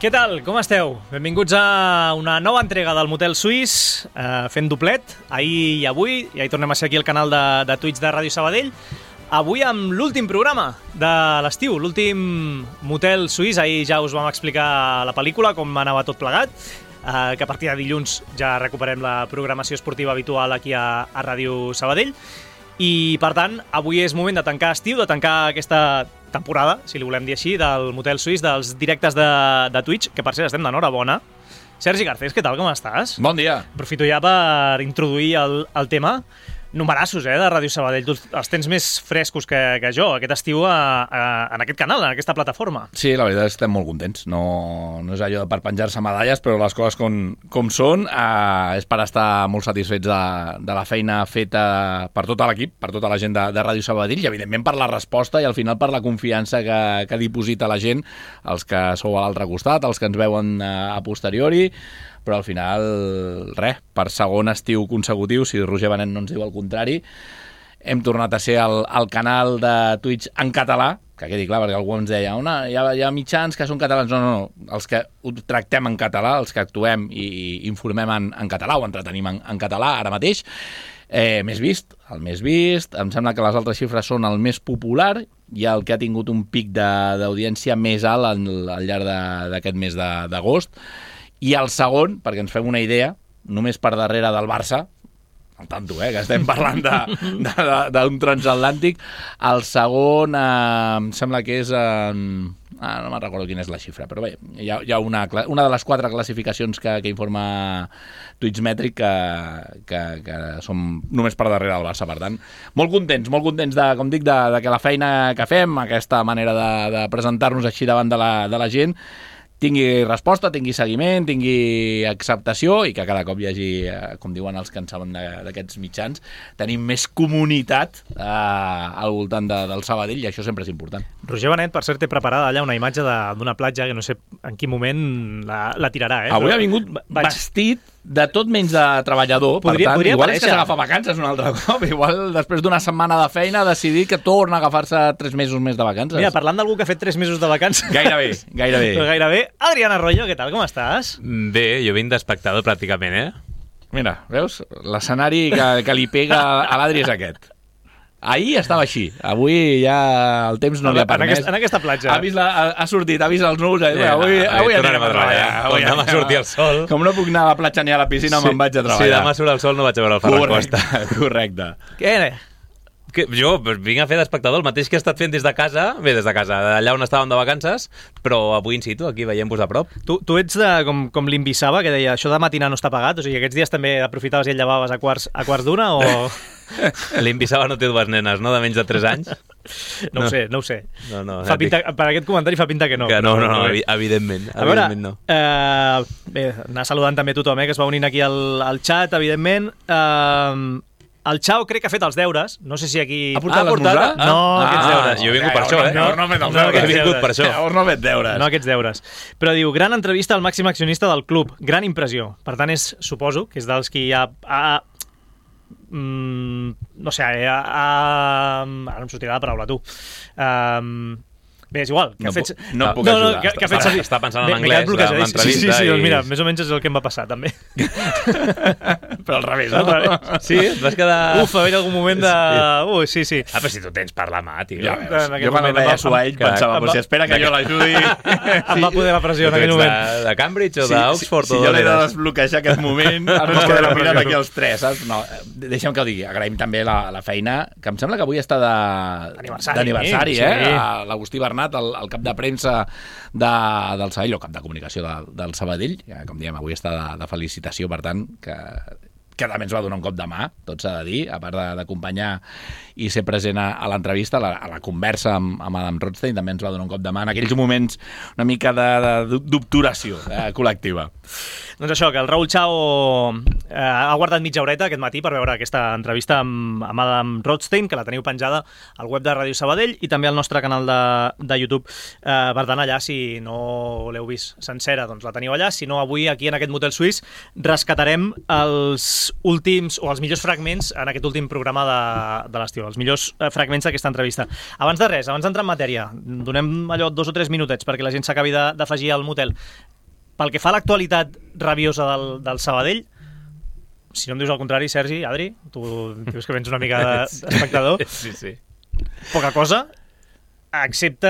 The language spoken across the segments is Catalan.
Què tal? Com esteu? Benvinguts a una nova entrega del Motel Suís, fent doblet, ahir i avui, i ahir tornem a ser aquí al canal de Twitch de Ràdio Sabadell. Avui amb l'últim programa de l'estiu, l'últim Motel Suís. Ahir ja us vam explicar la pel·lícula, com anava tot plegat, que a partir de dilluns ja recuperem la programació esportiva habitual aquí a Ràdio Sabadell. I, per tant, avui és moment de tancar estiu, de tancar aquesta temporada, si li volem dir així, del Motel Suís, dels directes de Twitch, que per cert estem d'enhorabona. Sergi Garcés, què tal, com estàs? Bon dia. Aprofito ja per introduir el tema. Numerassos, de Ràdio Sabadell. Tu els tens més frescos que jo, aquest estiu en aquest canal, en aquesta plataforma. Sí, la veritat és que estem molt contents. No és allò per penjar-se medalles, però les coses com són, és per estar molt satisfets de la feina feta per tot l'equip, per tota la gent de Ràdio Sabadell, i evidentment per la resposta i al final per la confiança que diposita la gent, els que sou a l'altre costat, els que ens veuen a posteriori, però al final, res, per segon estiu consecutiu, si Roger Benet no ens diu el contrari, hem tornat a ser el canal de Twitch en català, que quedi clar, perquè algú ens deia, hi ha mitjans que són catalans. No, els que ho tractem en català, els que actuem i informem en català o entretenim en català ara mateix, el més vist, em sembla que les altres xifres són el més popular i el que ha tingut un pic d'audiència més alt al llarg d'aquest mes d'agost. I el segon, perquè ens fem una idea, només per darrere del Barça, al tanto, que estem parlant d'un transatlàntic, el segon em sembla que és... no me'n recordo quina és la xifra, però bé, hi ha una de les 4 classificacions que informa Twitchmetric que som només per darrere del Barça, per tant. Molt contents, com dic, de que la feina que fem, aquesta manera de presentar-nos així davant de la gent, tingui resposta, tingui seguiment, tingui acceptació i que cada cop hi hagi, com diuen els que en saben d'aquests mitjans, tenim més comunitat al voltant del Sabadell i això sempre és important. Roger Benet, per cert, té preparada allà una imatge d'una platja que no sé en quin moment la tirarà. Avui ha vingut vestit de tot menys de treballador, per tant, igual és que s'agafa vacances un altre cop, igual després d'una setmana de feina ha decidit que torna a agafar-se 3 mesos més de vacances. Mira, parlant d'algú que ha fet 3 mesos de vacances... Gairebé. Però gairebé. Adrián Arroyo, què tal, com estàs? Bé, jo vinc d'espectador pràcticament, Mira, veus? L'escenari que li pega a l'Adri és aquest. Ahir estava així, avui ja el temps no li ha permès. En aquesta platja. Ha sortit, ha vist els núvols. Avui tornarem a treballar. Avui demà surti el sol. Com no puc anar a la platja ni a la piscina, me'n vaig a treballar. Si demà surt el sol no vaig a veure el Ferran Costa. Correcte. Què? Jo vinc a fer d'espectador el mateix que he estat fent des de casa, d'allà on estàvem de vacances, però avui in situ, aquí veiem-vos a prop. Tu ets com l'Imbissava, que deia això de matinar no està pagat, o sigui, aquests dies també aprofitaves i et llevaves a quarts d'una, o... L'Imbissava no té 2 nenes, no?, de menys de 3 anys? No ho sé. No, per aquest comentari fa pinta que no. No, evidentment. A veure, no. Bé, anar saludant també tothom, que es va unint aquí al xat, evidentment. El Xau crec que ha fet els deures. No sé si aquí... Ha portat l'esmorzar? No, aquests deures. Jo he vingut per això, No ha fet els deures. He vingut per això. Llavors no ha fet deures. No aquests deures. Però diu, gran entrevista al màxim accionista del club. Gran impressió. Per tant, suposo que és dels qui ha no sé, ara em sortirà la paraula, tu. Bé, és igual. No puc ajudar. Està pensant en anglès de l'entrevista. Sí, doncs mira, més o menys és el que em va passar, també. Però al revés, no? Sí, et vas quedar... Va haver algun moment de... sí. Però si tu tens per la mà, tio. Ja veus. Jo quan el veia suar ell pensava, si espera que jo l'ajudi... Em va poder la pressió en aquell moment. De Cambridge o d'Oxford? Si jo l'he de desbloquejar aquest moment, ara ens quedarà mirant aquí els 3, saps? No, deixa'm que ho digui. Agraïm també la feina, que em sembla que avui està d'aniversari, l'Agustí Bernat, el cap de premsa del Sabadell, o cap de comunicació del Sabadell, com diem, avui està de felicitació, per tant, que també ens va donar un cop de mà, tot s'ha de dir, a part d'acompanyar i ser present a l'entrevista, a la conversa amb Adam Rothstein, també ens va donar un cop de mà en aquells moments una mica d'obturació col·lectiva. Doncs això, que el Raül Chao ha guardat mitja horeta aquest matí per veure aquesta entrevista amb Adam Rothstein, que la teniu penjada al web de Ràdio Sabadell i també al nostre canal de YouTube. Per tant, allà, si no l'heu vist sencera, doncs la teniu allà. Si no, avui, aquí en aquest Motel Suís, rescatarem els últims, o els millors fragments en aquest últim programa de l'estiu, els millors fragments d'aquesta entrevista. Abans de res, abans d'entrar en matèria, donem allò 2 o 3 minutets perquè la gent s'acabi d'afegir al motel. pel que fa a l'actualitat rabiosa del Sabadell, si no em dius el contrari, Sergi, Adri, tu dius que vens una mica d'espectador, Sí. poca cosa, excepte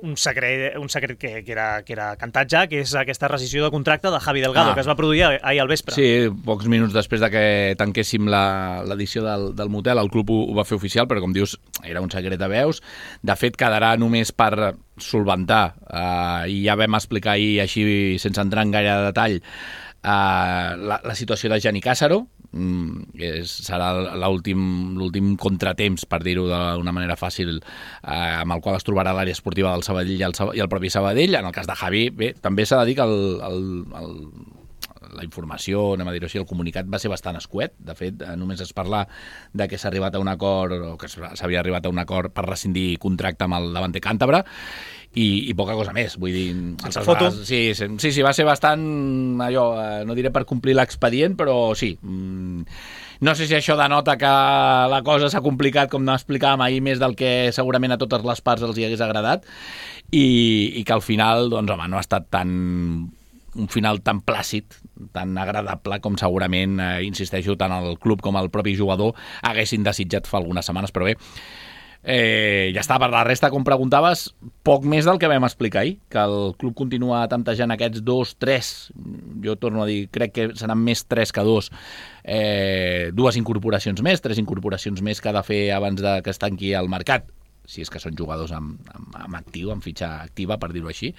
un secret que era cantat ja, que és aquesta rescissió de contracte de Javi Delgado, que es va produir ahir al vespre. Sí, pocs minuts després de que tanquéssim l'edició del motel, el club ho va fer oficial, però com dius, era un secret de veus. De fet, quedarà només per solventar, i ja vam explicar ahir, així sense entrar en gaire detall, la situació de Gianni Cássaro. Serà l'últim contratemps, per dir-ho d'una manera fàcil, amb el qual es trobarà l'àrea esportiva del Sabadell i el propi Sabadell. En el cas de Javi, bé, també s'ha de dir que la informació, anem a dir-ho així, el comunicat va ser bastant escuet. De fet, només es parla de que s'ha arribat a un acord, o que s'havia arribat a un acord per rescindir contracte amb el davanter càntabre, i poca cosa més, vull dir... Foto. Sí, va ser bastant allò, no diré per complir l'expedient, però sí. No sé si això denota que la cosa s'ha complicat, com explicàvem ahir, més del que segurament a totes les parts els hi hagués agradat, i que al final, doncs, home, no ha estat un final tan plàcid, tan agradable com segurament, insisteixo, tant el club com el propi jugador haguessin desitjat fa algunes setmanes, però bé, ja està. Per la resta, com preguntaves, poc més del que vam explicar ahir, que el club continua tantejant aquests 2-3, jo torno a dir, crec que seran més 3 que 2, 2 incorporacions més, 3 incorporacions més que ha de fer abans de que es tanqui el mercat, si és que són jugadors amb actiu, amb fitxa activa, per dir-ho així,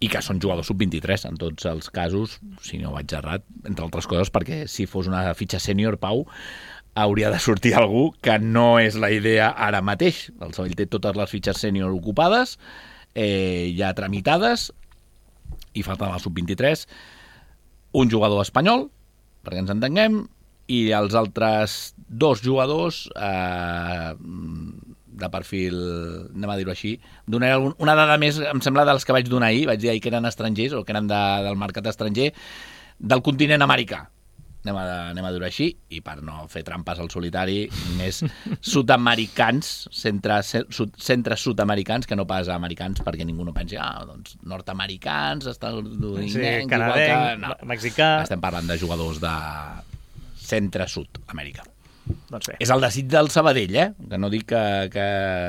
i que són jugadors sub-23 en tots els casos, si no vaig errat, entre altres coses, perquè si fos una fitxa sènior, Pau, hauria de sortir algú que no és la idea ara mateix. El Sabadell té totes les fitxes sènior ocupades, ja tramitades, i falta la sub-23, un jugador espanyol, perquè ens entenguem, i els altres 2 jugadors de perfil, anem a dir-ho així, donaré una dada més, em sembla, dels que vaig donar ahir, vaig dir ahir que eren estrangers, o que eren del mercat estranger, del continent americà. Anem a dir-ho així, i per no fer trampes al solitari, més sud-americans, centres sud-americans, que no pas americans, perquè ningú no pensi, doncs nord-americans, sí, canadenc, mexicà... Estem parlant de jugadors de centre-sud-amèrica. Doncs bé. És el desig del Sabadell, que no dic que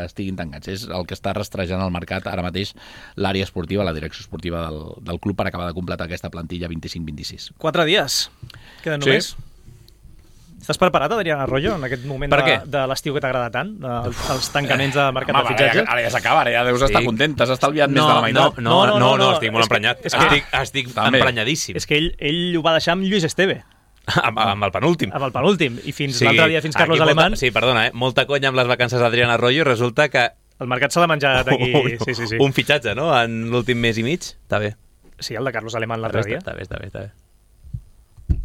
estiguin tancats, és el que està rastrejant el mercat ara mateix l'àrea esportiva, la direcció esportiva del club, per acabar de completar aquesta plantilla 25-26. 4 dies, queden només. Sí. Estàs preparat, Adrián Arroyo, en aquest moment de l'estiu que t'agrada tant, els tancaments de mercat de fitxatge? Ara ja s'acaba, ara ja deus estar content, t'has estalviat més de la meitat. No, estic molt emprenyat. Estic emprenyadíssim. És que ell ho va deixar amb Lluís Esteve. Amb el penúltim. Amb el penúltim. I fins l'altre dia, fins Carlos Alemán... Sí, perdona, molta conya amb les vacances d'Adrián Arroyo, i resulta que... El mercat s'ha de menjar d'aquí... Sí. Un fitxatge, no?, en l'últim mes i mig. Està bé. Sí, el de Carlos Alemán l'altre dia. Està bé.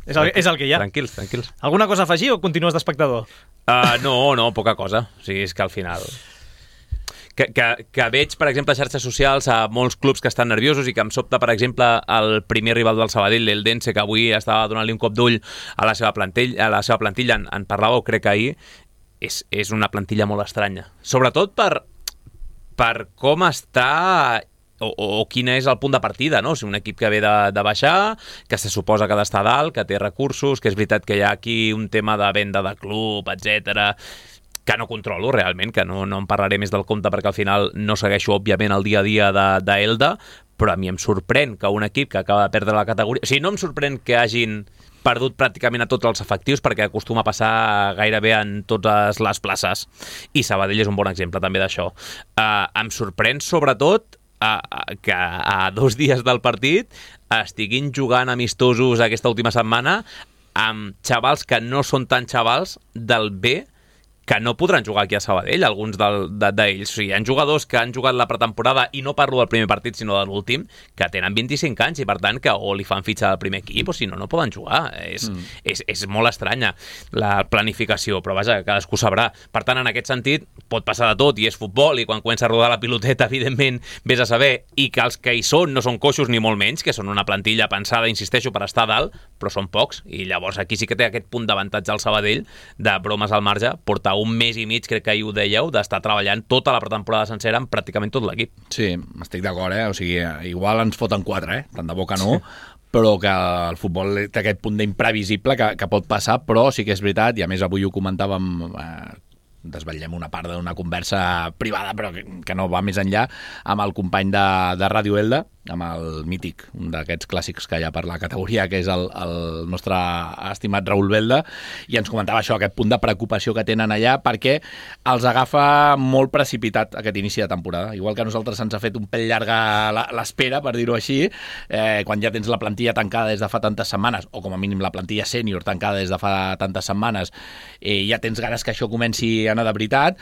És el que hi ha. Tranquils. Alguna cosa a afegir o continues d'espectador? No, poca cosa. O sigui, és que al final... Que veig, per exemple, a xarxes socials a molts clubs que estan nerviosos, i que em sobta, per exemple, el primer rival del Sabadell, l'Eldense, que avui estava donant-li un cop d'ull a la seva plantilla, en parlàveu, crec que ahir, és una plantilla molt estranya. Sobretot per com està o quin és el punt de partida, no? O sigui, un equip que ve de baixar, que se suposa que ha d'estar dalt, que té recursos, que és veritat que hi ha aquí un tema de venda de club, etc., que no controlo realment, que no en parlaré més del compte, perquè al final no segueixo, òbviament, el dia a dia d'Elda, però a mi em sorprèn que un equip que acaba de perdre la categoria... O sigui, no em sorprèn que hagin perdut pràcticament a tots els efectius, perquè acostuma a passar gairebé en totes les places, i Sabadell és un bon exemple també d'això. Em sorprèn, sobretot, que a 2 dies del partit estiguin jugant amistosos aquesta última setmana amb xavals que no són tan xavals del B, que no podran jugar aquí a Sabadell, alguns d'ells. O sigui, hi ha jugadors que han jugat la pretemporada, i no parlo del primer partit, sinó de l'últim, que tenen 25 anys, i per tant que o li fan fitxa del primer equip, o si no poden jugar. És molt estranya la planificació, però vaja, cadascú sabrà. Per tant, en aquest sentit, pot passar de tot, i és futbol, i quan comença a rodar la piloteta, evidentment, vés a saber, i que els que hi són no són coixos ni molt menys, que són una plantilla pensada, insisteixo, per estar dalt, però són pocs, i llavors aquí sí que té aquest punt d'avantatge al Sabadell, de bromes al marge, portar un mes i mig, crec que ahir ho dèieu, d'estar treballant tota la pretemporada sencera amb pràcticament tot l'equip. Sí, estic d'acord, O sigui, igual ens foten 4, tant de bo que no, però que el futbol té aquest punt d'imprevisible que pot passar, però sí que és veritat, i a més avui ho comentàvem, desvetllem una part d'una conversa privada, però que no va més enllà, amb el company de Ràdio Elda, amb el mític, un d'aquests clàssics que hi ha per la categoria, que és el nostre estimat Raül Belda, i ens comentava això, aquest punt de preocupació que tenen allà, perquè els agafa molt precipitat aquest inici de temporada. Igual que a nosaltres se'ns ha fet un pèl llarga l'espera, per dir-ho així, quan ja tens la plantilla tancada des de fa tantes setmanes, o com a mínim la plantilla sènior tancada des de fa tantes setmanes, ja tens ganes que això comenci a anar de veritat.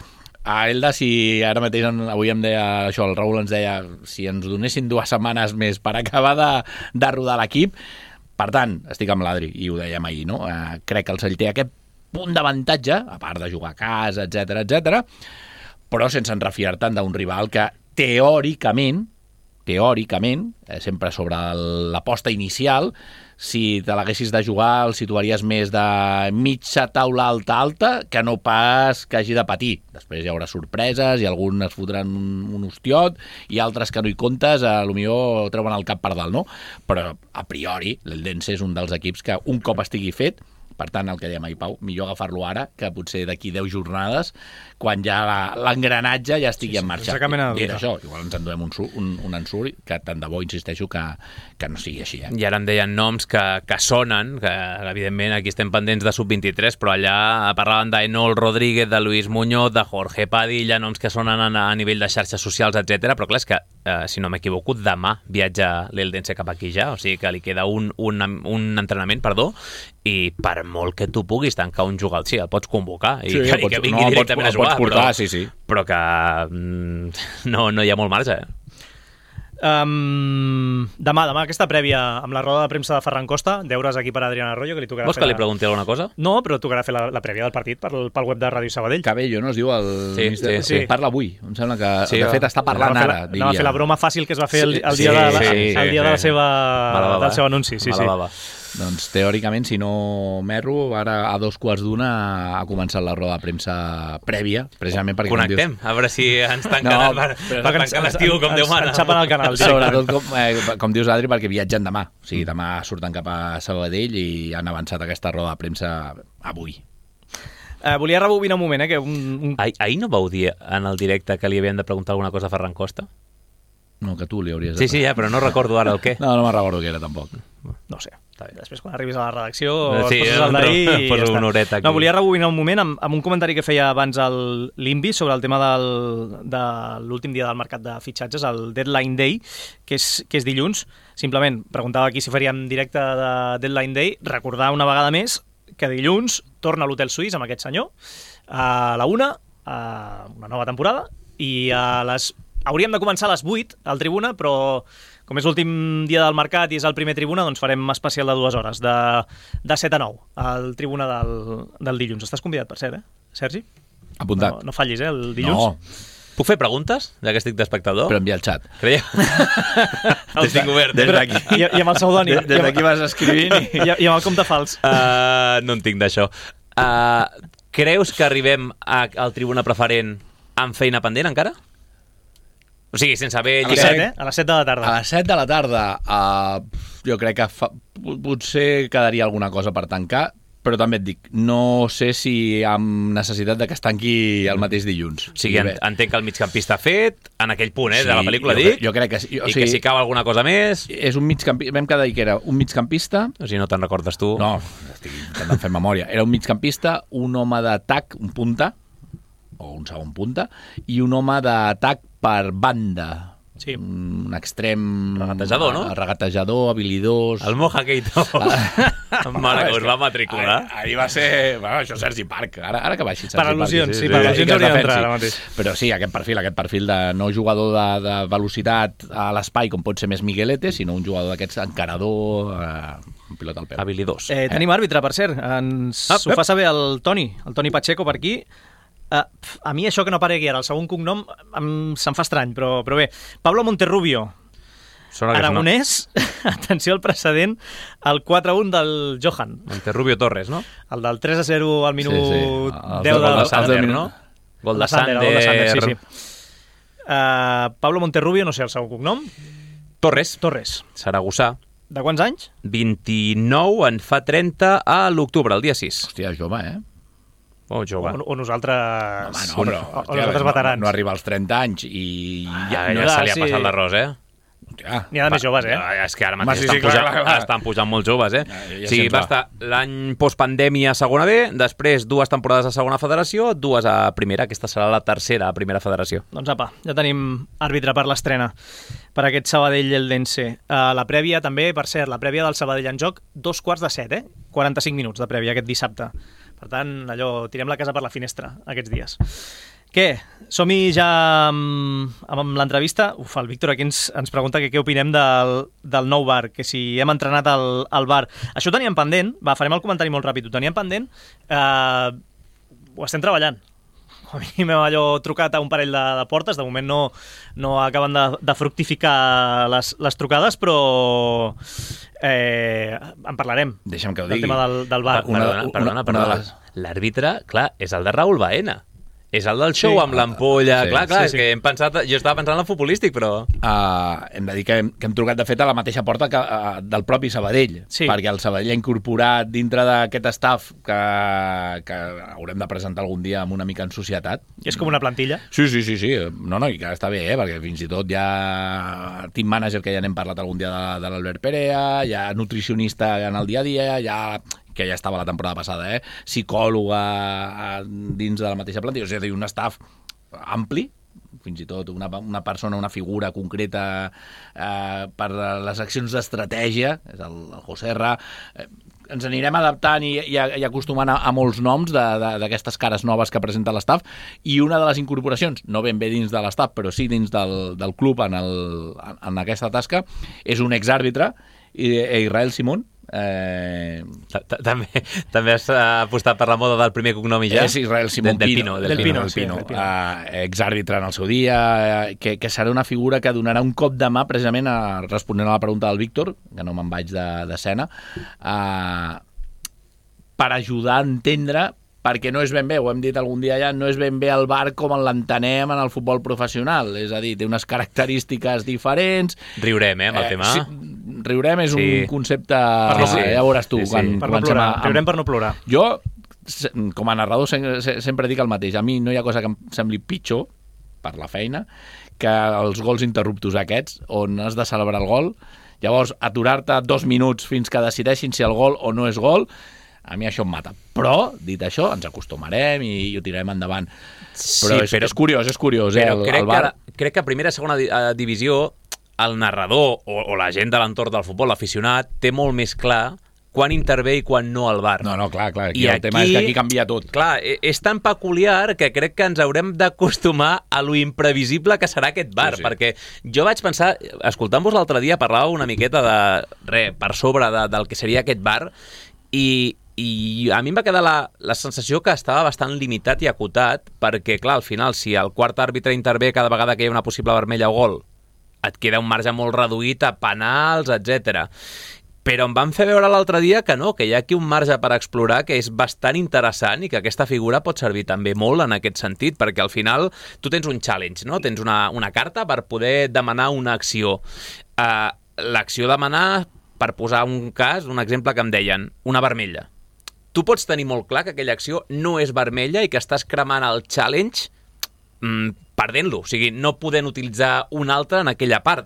A Elda, si ara mateix, avui em deia això, el Raül ens deia, si ens donessin 2 setmanes més per acabar de rodar l'equip, per tant, estic amb l'Adri, i ho dèiem ahir, no? Crec que el Sall té aquest punt d'avantatge, a part de jugar a casa, etc, però sense enrefiar tant d'un rival que teòricament, sempre sobre l'aposta inicial, si te l'haguessis de jugar el situaries més de mitja taula alta que no pas que hagi de patir. Després hi haurà sorpreses i alguns es fotran un hostiot i altres que no hi comptes, potser treuen el cap per dalt, no? Però a priori l'Eldense és un dels equips que un cop estigui fet, per tant, el que dèiem ahir, Pau, millor agafar-lo ara que potser d'aquí 10 jornades, quan ja l'engranatge ja estigui en marxa. Dit això, igual ens en donem un ensurt, que tant de bo, insisteixo, que no sigui així. I ara em deien noms que sonen, que evidentment aquí estem pendents de sub-23, però allà parlaven d'Enol Rodríguez, de Luis Muñoz, de Jorge Padilla, noms que sonen a nivell de xarxes socials, etc. Però clar, és que, si no m'equivoco, demà viatja l'Eldense cap aquí ja, o sigui que li queda un entrenament, i per molt que tu puguis tancar un jugador, sí, el pots convocar i que vingui directament a jugar, portar, però que no hi ha molt marge. Demà aquesta prèvia amb la roda de premsa de Ferran Costa, deures aquí per Adrián Arroyo, que li tocarà. Vols que li pregunti alguna cosa? No, però tocarà fer la prèvia del partit pel web de Ràdio Sabadell. Cabello, no es diu el... Sí. Parla avui, em sembla que de fet està parlant ara. Anava a fer la broma fàcil que es va fer el dia del seu anunci. Sí. Doncs teòricament, si no m'erro, ara a 2:15 ha començat la roda de premsa prèvia, precisament perquè... Connectem, a veure si ens tanquen tancar l'estiu com Déu mana. Ens xapen el canal. Sobretot, com dius, Adri, perquè viatgen demà. O sigui, demà surten cap a Sabadell i han avançat aquesta roda de premsa avui. Volia rebobinar un moment, que Ahir no vau dir en el directe que li havien de preguntar alguna cosa a Ferran Costa? No, que tu li hauries de... Sí, ja, però no recordo ara el què. No me'n recordo què era, tampoc. No sé. Després, quan arribis a la redacció, poses el d'ahir i ja està. Una horeta aquí. No, volia rebobinar un moment amb un comentari que feia abans l'Invi sobre el tema de l'últim dia del mercat de fitxatges, el Deadline Day, que és dilluns. Simplement preguntava aquí si faríem directe de Deadline Day. Recordar una vegada més que dilluns torna a l'Hotel Suís amb aquest senyor a la 1, una nova temporada, i hauríem de començar a les 8 al Tribuna, però com és l'últim dia del mercat i és el primer Tribuna, doncs farem especial de 2 hores, de 7 a 9, al Tribuna del dilluns. Estàs convidat, per cert, Sergi? Apuntat. No fallis, el dilluns. No. Puc fer preguntes, ja que estic d'espectador? Però envia el xat. Creieu? El tinc obert. Des d'aquí. I amb el pseudònim. Des d'aquí vas escrivint i amb el compte fals. No en tinc d'això. Creus que arribem al Tribuna Preferent amb feina pendent encara? O sigui, sense haver... A les 7 de la tarda. A les 7 de la tarda jo crec que potser quedaria alguna cosa per tancar, però també et dic, no sé si amb necessitat de que es tanqui el mateix dilluns. O sigui, entenc que el migcampista ha fet, en aquell punt, de la pel·lícula, dic. Jo crec que sí. I que si cau alguna cosa més... És un migcampista, vam quedar que era un migcampista... O sigui, no te'n recordes tu? No, estic intentant fer memòria. Era un migcampista, un home d'atac, un punta, o un segon punta, i un home d'atac per banda. Sí. Un extrem... Regatejador, no? Regatejador, habilidós... El Moja Keito. Mare que us va matricular. Ahir va ser... Bueno, això Sergi Parc. Ara que baixi Sergi per al·lusions, Parc. sí, per al·lusions hauria d'entrar ara mateix. Però sí, aquest perfil de no jugador de velocitat a l'espai, com pot ser més Miguelete, sinó un jugador d'aquests encarador, un pilot al peu. Habilidós. Tenim àrbitre, per cert. Ho fa saber el Toni Pacheco per aquí. A mi això que no aparegui ara, el segon cognom se'm fa estrany, però bé. Pablo Monterrubio. Aragonès, atenció al precedent, el 4-1 del Johan. Monterrubio Torres, no? El del 3-0 al minut 10 del del Sander, no? Gol de Sander. Sí. Pablo Monterrubio, no sé el seu cognom. Torres. Saragossà. De quants anys? 29, en fa 30 a l'octubre, el dia 6. Hòstia, jove, eh? Oh, jove. O nosaltres... Home, no, però nosaltres veterans. No arriba als 30 anys i... Ja se li ha passat l'arròs, eh? Hòstia. N'hi ha de més joves, eh? És que ara mateix Sí, clar. estan pujant molt joves, eh? Ja Sí, se'ns va va. estar l'any postpandèmia a segona B, després 2 temporades a segona federació, 2 a primera. Aquesta serà la tercera a primera federació. Doncs apa, ja tenim àrbitre per l'estrena per aquest Sabadell-Eldense. La prèvia també, per cert, la prèvia del Sabadell en joc, 2:45, 45 minuts de prèvia aquest dissabte. Per tant, allò, tirem la casa per la finestra aquests dies. Què? Som-hi ja amb l'entrevista? El Víctor aquí ens pregunta què opinem del nou bar, que si hem entrenat al bar. Això ho teníem pendent, farem el comentari molt ràpid, ho teníem pendent, ho estem treballant. A mi m'he allò trucat a un parell de portes, de moment no acaben de fructificar les trucades, però en parlarem. Deixa'm que ho del digui. tema del bar. Perdona. L'àrbitre, clar, és el de Raül Baena. És el del show amb l'ampolla. Sí. Clar, Sí. és que jo estava pensant en el futbolístic, però... Hem de dir que hem trucat, de fet, a la mateixa porta del propi Sabadell, Sí. perquè el Sabadell ha incorporat dintre d'aquest staff que haurem de presentar algun dia amb una mica en societat. I és com una plantilla. Sí. No, i que està bé, perquè fins i tot hi ha team manager, que ja n'hem parlat algun dia de l'Albert Perea, hi ha nutricionista en el dia a dia, que ja estava la temporada passada, psicòloga dins de la mateixa plantilla, és a dir, un staff ampli, fins i tot una persona, una figura concreta per les accions d'estratègia, és el José R. Ens anirem adaptant i acostumant a molts noms d'aquestes cares noves que presenta l'estaf, i una de les incorporacions, no ben bé dins de l'estaf, però sí dins del club en aquesta tasca, és un exàrbitre, Israel Simón. També has apostat per la moda del primer cognom i ja? És Israel Simón Del Pino. Exàrbitre en el seu dia, que serà una figura que donarà un cop de mà precisament responent a la pregunta del Víctor, que no me'n vaig d'escena, per ajudar a entendre, perquè no és ben bé, ho hem dit algun dia ja, no és ben bé el VAR com l'entenem en el futbol professional, és a dir, té unes característiques diferents. Riurem, amb el tema. Sí, riurem és un concepte... Ja veuràs tu. Per no plorar, riurem per no plorar. Jo, com a narrador, sempre dic el mateix. A mi no hi ha cosa que em sembli pitjor, per la feina, que els gols interruptos aquests, on has de celebrar el gol, llavors aturar-te 2 minuts fins que decideixin si el gol o no és gol, a mi això em mata. Però, dit això, ens acostumarem i ho tirarem endavant. Però és curiós, però crec que a primera i segona divisió el narrador o la gent de l'entorn del futbol, l'aficionat, té molt més clar quan intervé i quan no al VAR. No, clar, aquí el tema és que aquí canvia tot. Clar, és tan peculiar que crec que ens haurem d'acostumar a lo imprevisible que serà aquest VAR, perquè jo vaig pensar, escoltant-vos l'altre dia, parlàveu una miqueta per sobre del que seria aquest VAR, i a mi em va quedar la sensació que estava bastant limitat i acotat, perquè, clar, al final, si el quart àrbitre intervé cada vegada que hi ha una possible vermella o gol, et queda un marge molt reduït a penals, etc. Però em van fer veure l'altre dia que no, que hi ha aquí un marge per explorar que és bastant interessant i que aquesta figura pot servir també molt en aquest sentit, perquè al final tu tens un challenge, no? Tens una carta per poder demanar una acció. L'acció demanar, per posar un cas, un exemple que em deien, una vermella. Tu pots tenir molt clar que aquella acció no és vermella i que estàs cremant el challenge perdent-lo, o sigui, no podent utilitzar un altre en aquella part.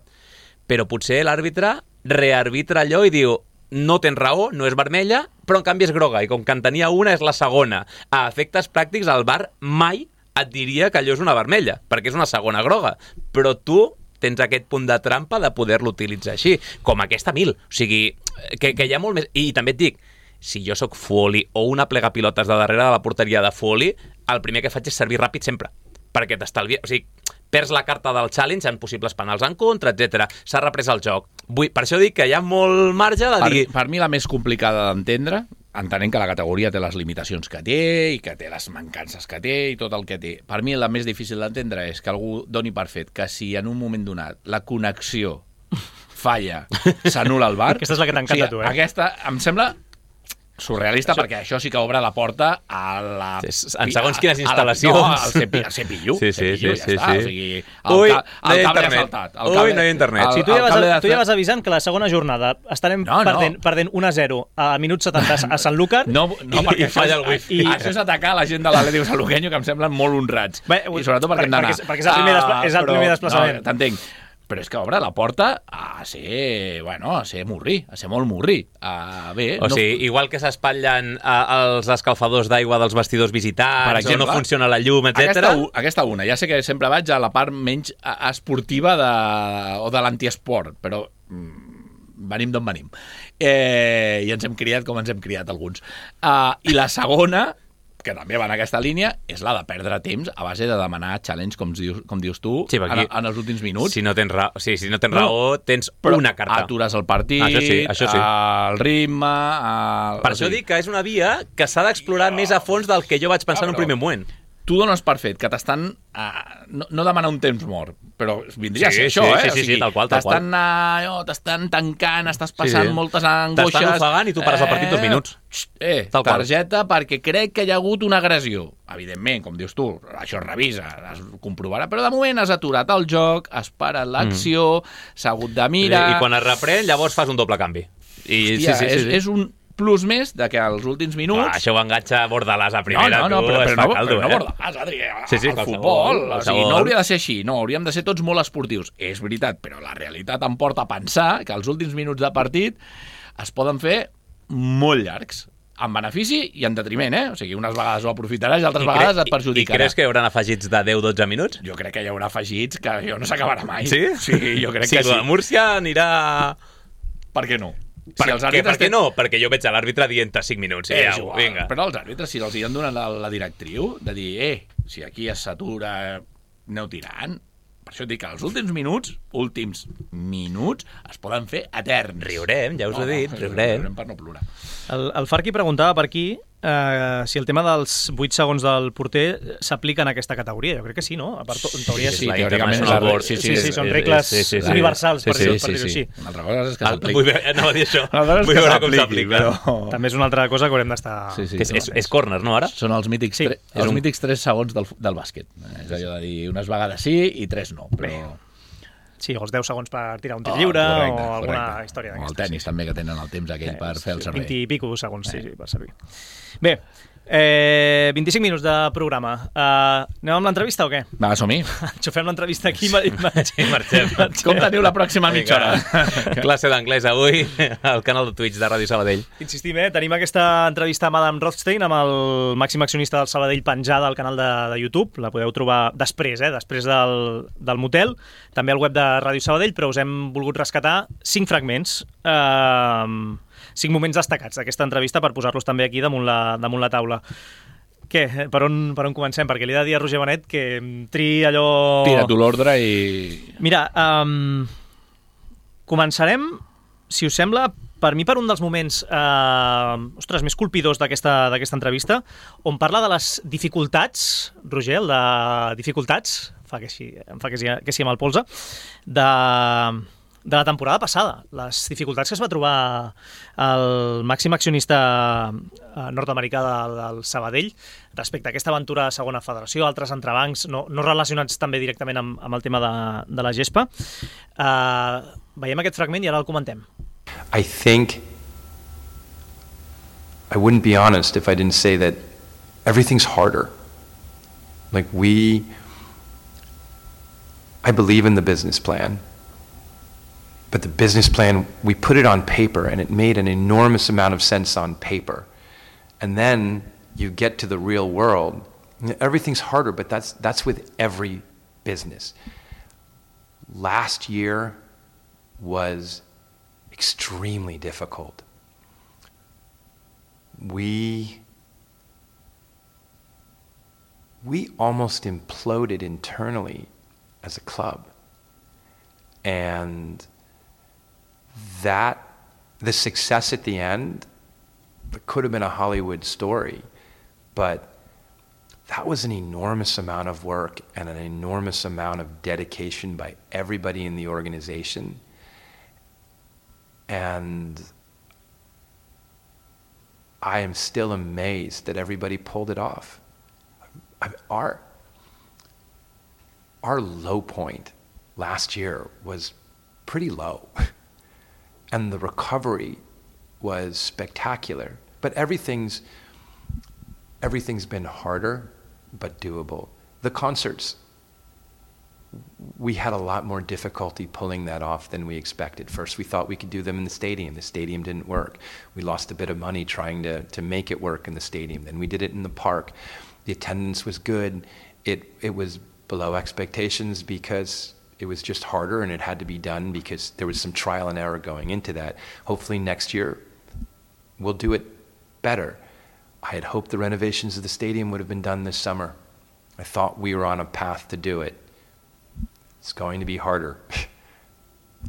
Però potser l'àrbitre rearbitra allò i diu no tens raó, no és vermella, però en canvi és groga, i com que en tenia una és la segona. A efectes pràctics, el VAR mai et diria que allò és una vermella, perquè és una segona groga. Però tu tens aquest punt de trampa de poder-lo utilitzar així, com aquesta 1000. O sigui, que hi ha molt més... I també et dic, si jo sóc Fuoli o una plegapilotes de darrere de la porteria de Fuoli, el primer que faig és servir ràpid sempre, perquè t'estalvia... O sigui, perds la carta del challenge en possibles penals en contra, etc. S'ha reprès el joc. Per això dic que hi ha molt marge de dir... Per mi la més complicada d'entendre, entenent que la categoria té les limitacions que té i que té les mancances que té i tot el que té. Per mi la més difícil d'entendre és que algú doni per fet que si en un moment donat la connexió falla, s'anul·la el VAR. Aquesta és la que t'encanta a tu, Aquesta em sembla surrealista, perquè això sí que obre la porta a la... En segons quines instal·lacions. No, al CPU. Sí. Ja està. O sigui, Ui, el cable ha saltat. No hi ha internet. Sí, tu ja vas avisant que la segona jornada estarem perdent 1-0 a minut 70 a Sant Lúcar. No, perquè falla el wifi. Això és atacar la gent de l'Atlètic Sanluqueño, que em semblen molt honrats. I sobretot perquè hem d'anar. Perquè és el primer desplaçament. T'entenc. Però és que obre la porta a ser murri, a ser molt murri. Igual que s'espatllen els escalfadors d'aigua dels vestidors visitants, o no funciona la llum, etc. Aquesta una. Ja sé que sempre vaig a la part menys esportiva o de l'antiesport, però venim d'on venim. I ens hem criat com ens hem criat alguns. I la segona, que també va en aquesta línia, és la de perdre temps a base de demanar challenge, com dius tu, en els últims minuts. Si no tens raó, tens una carta. Atures el partit, això sí. El ritme... Per això dic que és una via que s'ha d'explorar més a fons del que jo vaig pensar en un primer moment. Tu dones per fet que t'estan... no demanar un temps mort, però vindria a ser això, Sí, tal qual. T'estan tancant, estàs passant moltes angoixes... T'estan ofegant i tu pares el partit 2 minuts. Targeta perquè crec que hi ha hagut una agressió. Evidentment, com dius tu, això es revisa, es comprovarà, però de moment has aturat el joc, has parat l'acció, s'ha hagut de mirar... I quan es reprèn, llavors fas un doble canvi. És un plus més de que als últims minuts... Això ho enganxa Bordalàs a primera. No, però no Bordalàs, Adri. El futbol, no hauria de ser així. No, hauríem de ser tots molt esportius. És veritat, però la realitat em porta a pensar que els últims minuts de partit es poden fer molt llargs, en benefici i en detriment, O sigui, unes vegades ho aprofitaràs i altres vegades et perjudicarà. I creus que hi haurà afegits de 10-12 minuts? Jo crec que hi haurà afegits que jo no s'acabarà mai. Sí? Sí, jo crec que sí. Si la Múrcia anirà... Per què no? Per què no? Perquè jo veig a l'àrbitre dient 5 minuts. Vinga. Però els àrbitres, si els hi han donat la directriu de dir, si aquí es satura, aneu tirant. Per això et dic que els últims minuts es poden fer eterns. Riurem, ja us ho he dit, riurem per no plorar. El Farqui preguntava per aquí si el tema dels 8 segons del porter s'aplica en aquesta categoria. Jo crec que sí, no? A part, en teoria sí. Teòricament són regles universals, per dir-ho així. Una altra cosa és que s'aplica. Anava a dir això. Vull veure com s'aplica. També és una altra cosa que haurem d'estar... És córner, no, ara? Són els mítics 3 segons del bàsquet. És allò de dir unes vegades sí i 3 no, però... Sí, o els 10 segons per tirar un tir lliure o alguna història d'aquesta. O el tenis també, que tenen el temps aquell per fer el servei. 20 i pico segons, per servir. Bé, 25 minuts de programa. Anem amb l'entrevista o què? Va, som-hi. Enxufem l'entrevista aquí i marxem. Com teniu la pròxima mitja hora? Classe d'anglès avui al canal de Twitch de Ràdio Sabadell. Insistim, tenim aquesta entrevista amb Adam Rothstein, amb el màxim accionista del Sabadell, penjada al canal de YouTube. La podeu trobar després del motel. També al web de Ràdio Sabadell, però us hem volgut rescatar 5 fragments, 5 moments destacats d'aquesta entrevista per posar-los també aquí damunt la taula. Què? Per on comencem? Perquè li he de dir a Roger Benet que triï allò... Tira tu l'ordre i... Mira, començarem, si us sembla, per mi per un dels moments més colpidors d'aquesta entrevista, on parla de les dificultats, Roger, el de dificultats, em fa que sí amb el polze, de la temporada passada, les dificultats que es va trobar el màxim accionista nord-americà del Sabadell respecte a aquesta aventura de segona federació, altres entrebancs, no relacionats també directament amb el tema de la gespa. Veiem aquest fragment i ara el comentem. I think I wouldn't be honest if I didn't say that everything's harder. Like I believe in the business plan. But the business plan, we put it on paper and it made an enormous amount of sense on paper. And then you get to the real world, everything's harder, but that's with every business. Last year was extremely difficult. We almost imploded internally as a club. And the success at the end, it could have been a Hollywood story, but that was an enormous amount of work and an enormous amount of dedication by everybody in the organization. And I am still amazed that everybody pulled it off. Our low point last year was pretty low, and the recovery was spectacular. But everything's been harder, but doable. The concerts, we had a lot more difficulty pulling that off than we expected. First, we thought we could do them in the stadium. The stadium didn't work. We lost a bit of money trying to make it work in the stadium. Then we did it in the park. The attendance was good. It was below expectations because it was just harder and it had to be done because there was some trial and error going into that. Hopefully next year we'll do it better. I had hoped the renovations of the stadium would have been done this summer. I thought we were on a path to do it. It's going to be harder.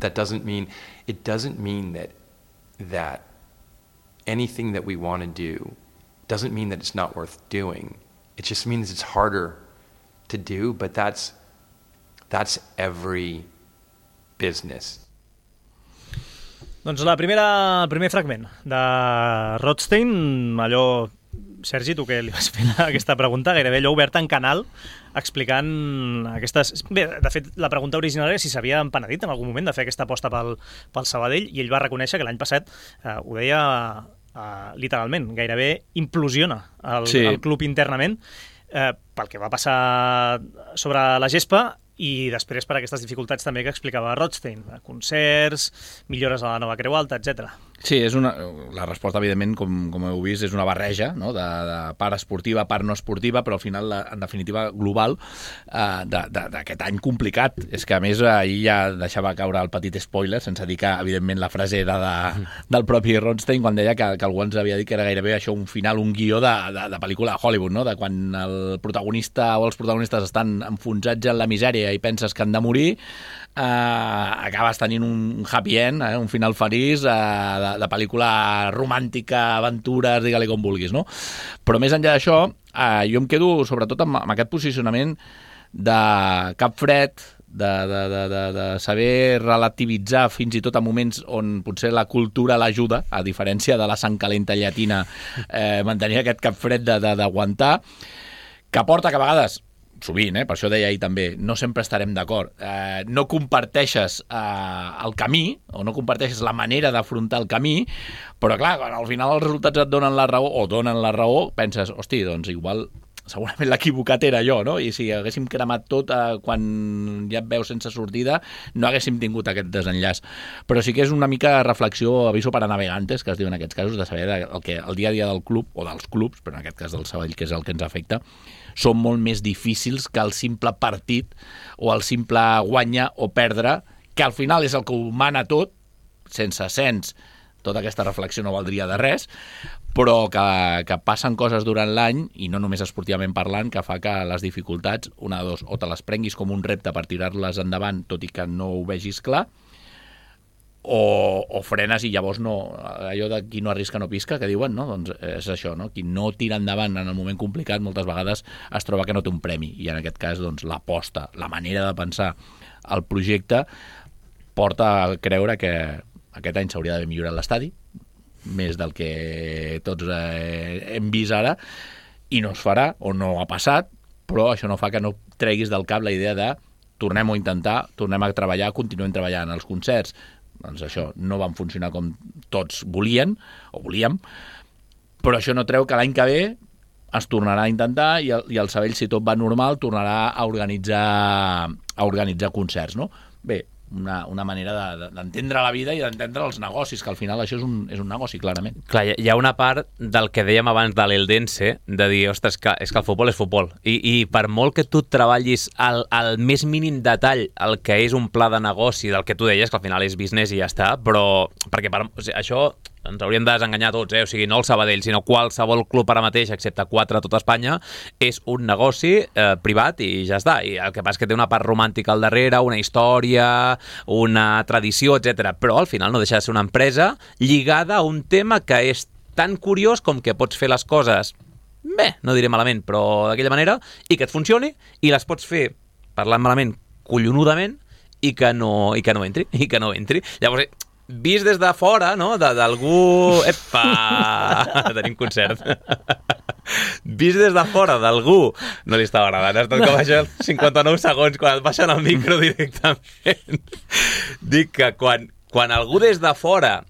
It doesn't mean that anything that we want to do doesn't mean that it's not worth doing. It just means it's harder to do, but that's every business. Doncs el primer fragment de Rothstein, allò, Sergi, tu que li vas fer aquesta pregunta, gairebé allò obert en canal, explicant aquestes... Bé, de fet, la pregunta original era si s'havia empenedit en algun moment de fer aquesta aposta pel Sabadell, i ell va reconèixer que l'any passat, ho deia literalment, gairebé implosiona el club internament, pel que va passar sobre la gespa, i després per aquestes dificultats també que explicava Rothstein, concerts, millores a la nova Creu Alta, etc. Sí, la resposta, evidentment, com heu vist, és una barreja, no? de part esportiva, part no esportiva, però al final, en definitiva, global, d'aquest any complicat. És que, a més, ahir ja deixava caure el petit spoiler, sense dir que, evidentment, la frase era del propi Rothstein, quan deia que algú ens havia dit que era gairebé això un final, un guió de pel·lícula de Hollywood, no? De quan el protagonista o els protagonistes estan enfonsats en la misèria i penses que han de morir, acabes tenint un happy end, un final feliç de pel·lícula romàntica, aventures, digue-li com vulguis, no? Però més enllà d'això, jo em quedo sobretot amb aquest posicionament de cap fred, de saber relativitzar fins i tot a moments on potser la cultura l'ajuda, a diferència de la sang calenta llatina, mantenir aquest cap fred d'aguantar, que porta que a vegades, sovint, per això deia ahir també, no sempre estarem d'acord. No comparteixes el camí, o no comparteixes la manera d'afrontar el camí, però clar, quan al final els resultats et donen la raó, o donen la raó, penses, hosti, doncs igual segurament l'equivocat era jo, no? I si haguéssim cremat tot quan ja et veus sense sortida, no haguéssim tingut aquest desenllaç. Però sí que és una mica reflexió, aviso para navegantes, que es diu en aquests casos, de saber que el dia a dia del club, o dels clubs, però en aquest cas del Sabadell, que és el que ens afecta, són molt més difícils que el simple partit o el simple guanyar o perdre, que al final és el que ho mana tot, sense ascens, tota aquesta reflexió no valdria de res, però que passen coses durant l'any, i no només esportivament parlant, que fa que les dificultats, una de dos, o te les prenguis com un repte per tirar-les endavant, tot i que no ho vegis clar, o frenes i llavors no, allò de qui no arrisca no pisca, que diuen, no? Doncs és això, no? Qui no tira endavant en el moment complicat moltes vegades es troba que no té un premi, i en aquest cas doncs, l'aposta, la manera de pensar el projecte porta a creure que aquest any s'hauria d'haver millorat l'estadi, més del que tots hem vist ara, i no es farà, o no ha passat, però això no fa que no treguis del cap la idea de tornem-ho a intentar, tornem a treballar, continuem treballant. Els concerts, doncs això, no van funcionar com tots volien, o volíem, però això no treu que l'any que ve es tornarà a intentar i el Sabadell, si tot va normal, tornarà a organitzar concerts, no? Bé, una manera d'entendre la vida i d'entendre els negocis, que al final això és un negoci, clarament. Clar, hi ha una part del que dèiem abans de l'Eldense, de dir, ostres, és que el futbol és futbol. I per molt que tu treballis al més mínim detall el que és un pla de negoci, del que tu deies, que al final és business i ja està, però perquè això ens hauríem de desenganyar tots, o sigui, no el Sabadell, sinó qualsevol club ara mateix, excepte 4 a tota Espanya, és un negoci privat i ja està. I el que passa és que té una part romàntica al darrere, una història, una tradició, etc. Però al final no deixa de ser una empresa lligada a un tema que és tan curiós com que pots fer les coses, bé, no diré malament, però d'aquella manera, i que et funcioni, i les pots fer, parlant malament, collonudament, i que no entri. Llavors, vist des de fora, no?, d'algú... Epa! Tenim concert. Vist des de fora d'algú... No li estava agradant, ha estat com això 59 segons quan et baixen el micro directament. Dic que quan algú des de fora